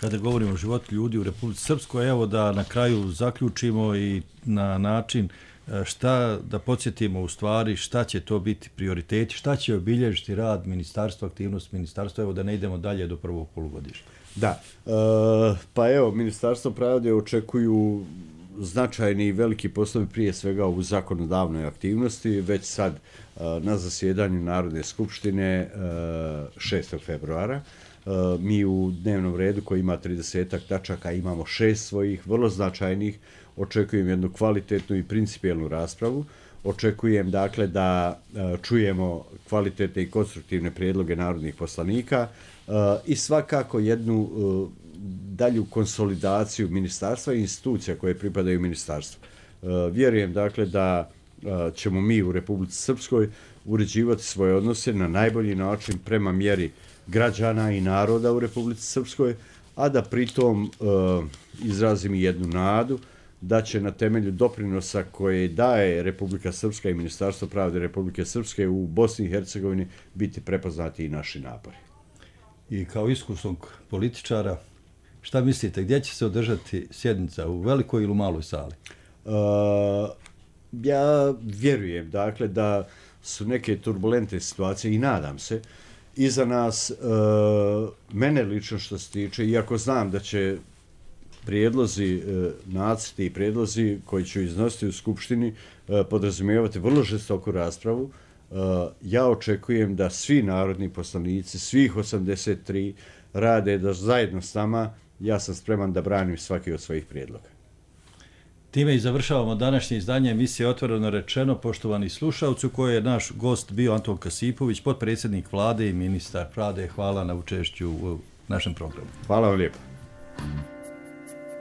Kada govorimo o životu ljudi u Republici Srpskoj, evo da na kraju zaključimo i na način šta da podsjetimo u stvari šta će to biti prioriteti, šta će obilježiti rad ministarstva, aktivnost ministarstva, evo da ne idemo dalje do prvog polugodišta. Da, pa evo, Ministarstvo pravde očekuju značajni i veliki poslovi prije svega u zakonodavnoj aktivnosti, već sad na zasjedanju Narodne skupštine 6. februara. Mi u dnevnom redu koji ima 30 tačaka imamo 6 svojih vrlo značajnih. Očekujem jednu kvalitetnu i principijelnu raspravu. Očekujem dakle da čujemo kvalitetne i konstruktivne prijedloge narodnih poslanika i svakako jednu dalju konsolidaciju ministarstva i institucija koje pripadaju ministarstvu. Vjerujem dakle da ćemo mi u Republici Srpskoj uređivati svoje odnose na najbolji način prema mjeri građana i naroda u Republici Srpskoj, a da pritom izrazim i jednu nadu da će na temelju doprinosa koje daje Republika Srpska i Ministarstvo pravde Republike Srpske u Bosni i Hercegovini biti prepoznati i naši napori. I kao iskusnog političara, šta mislite, gdje će se održati sjednica, u velikoj ili u maloj sali? Ja vjerujem dakle da su neke turbulentne situacije i nadam se iza nas. Mene lično što se tiče, iako znam da će prijedlozi, nacrti i prijedlozi koji ću iznositi u Skupštini podrazumijevati vrlo žestoku raspravu, ja očekujem da svi narodni poslanici, svih 83 rade da zajedno s nama, ja sam spreman da branim svaki od svojih prijedloga. Time i završavamo današnje izdanje emisije Otvoreno rečeno, poštovani slušalci, u kojoj je naš gost bio Anton Kasipović, potpredsjednik vlade i ministar pravde. Hvala na učešću u našem programu. Hvala vam lijepo.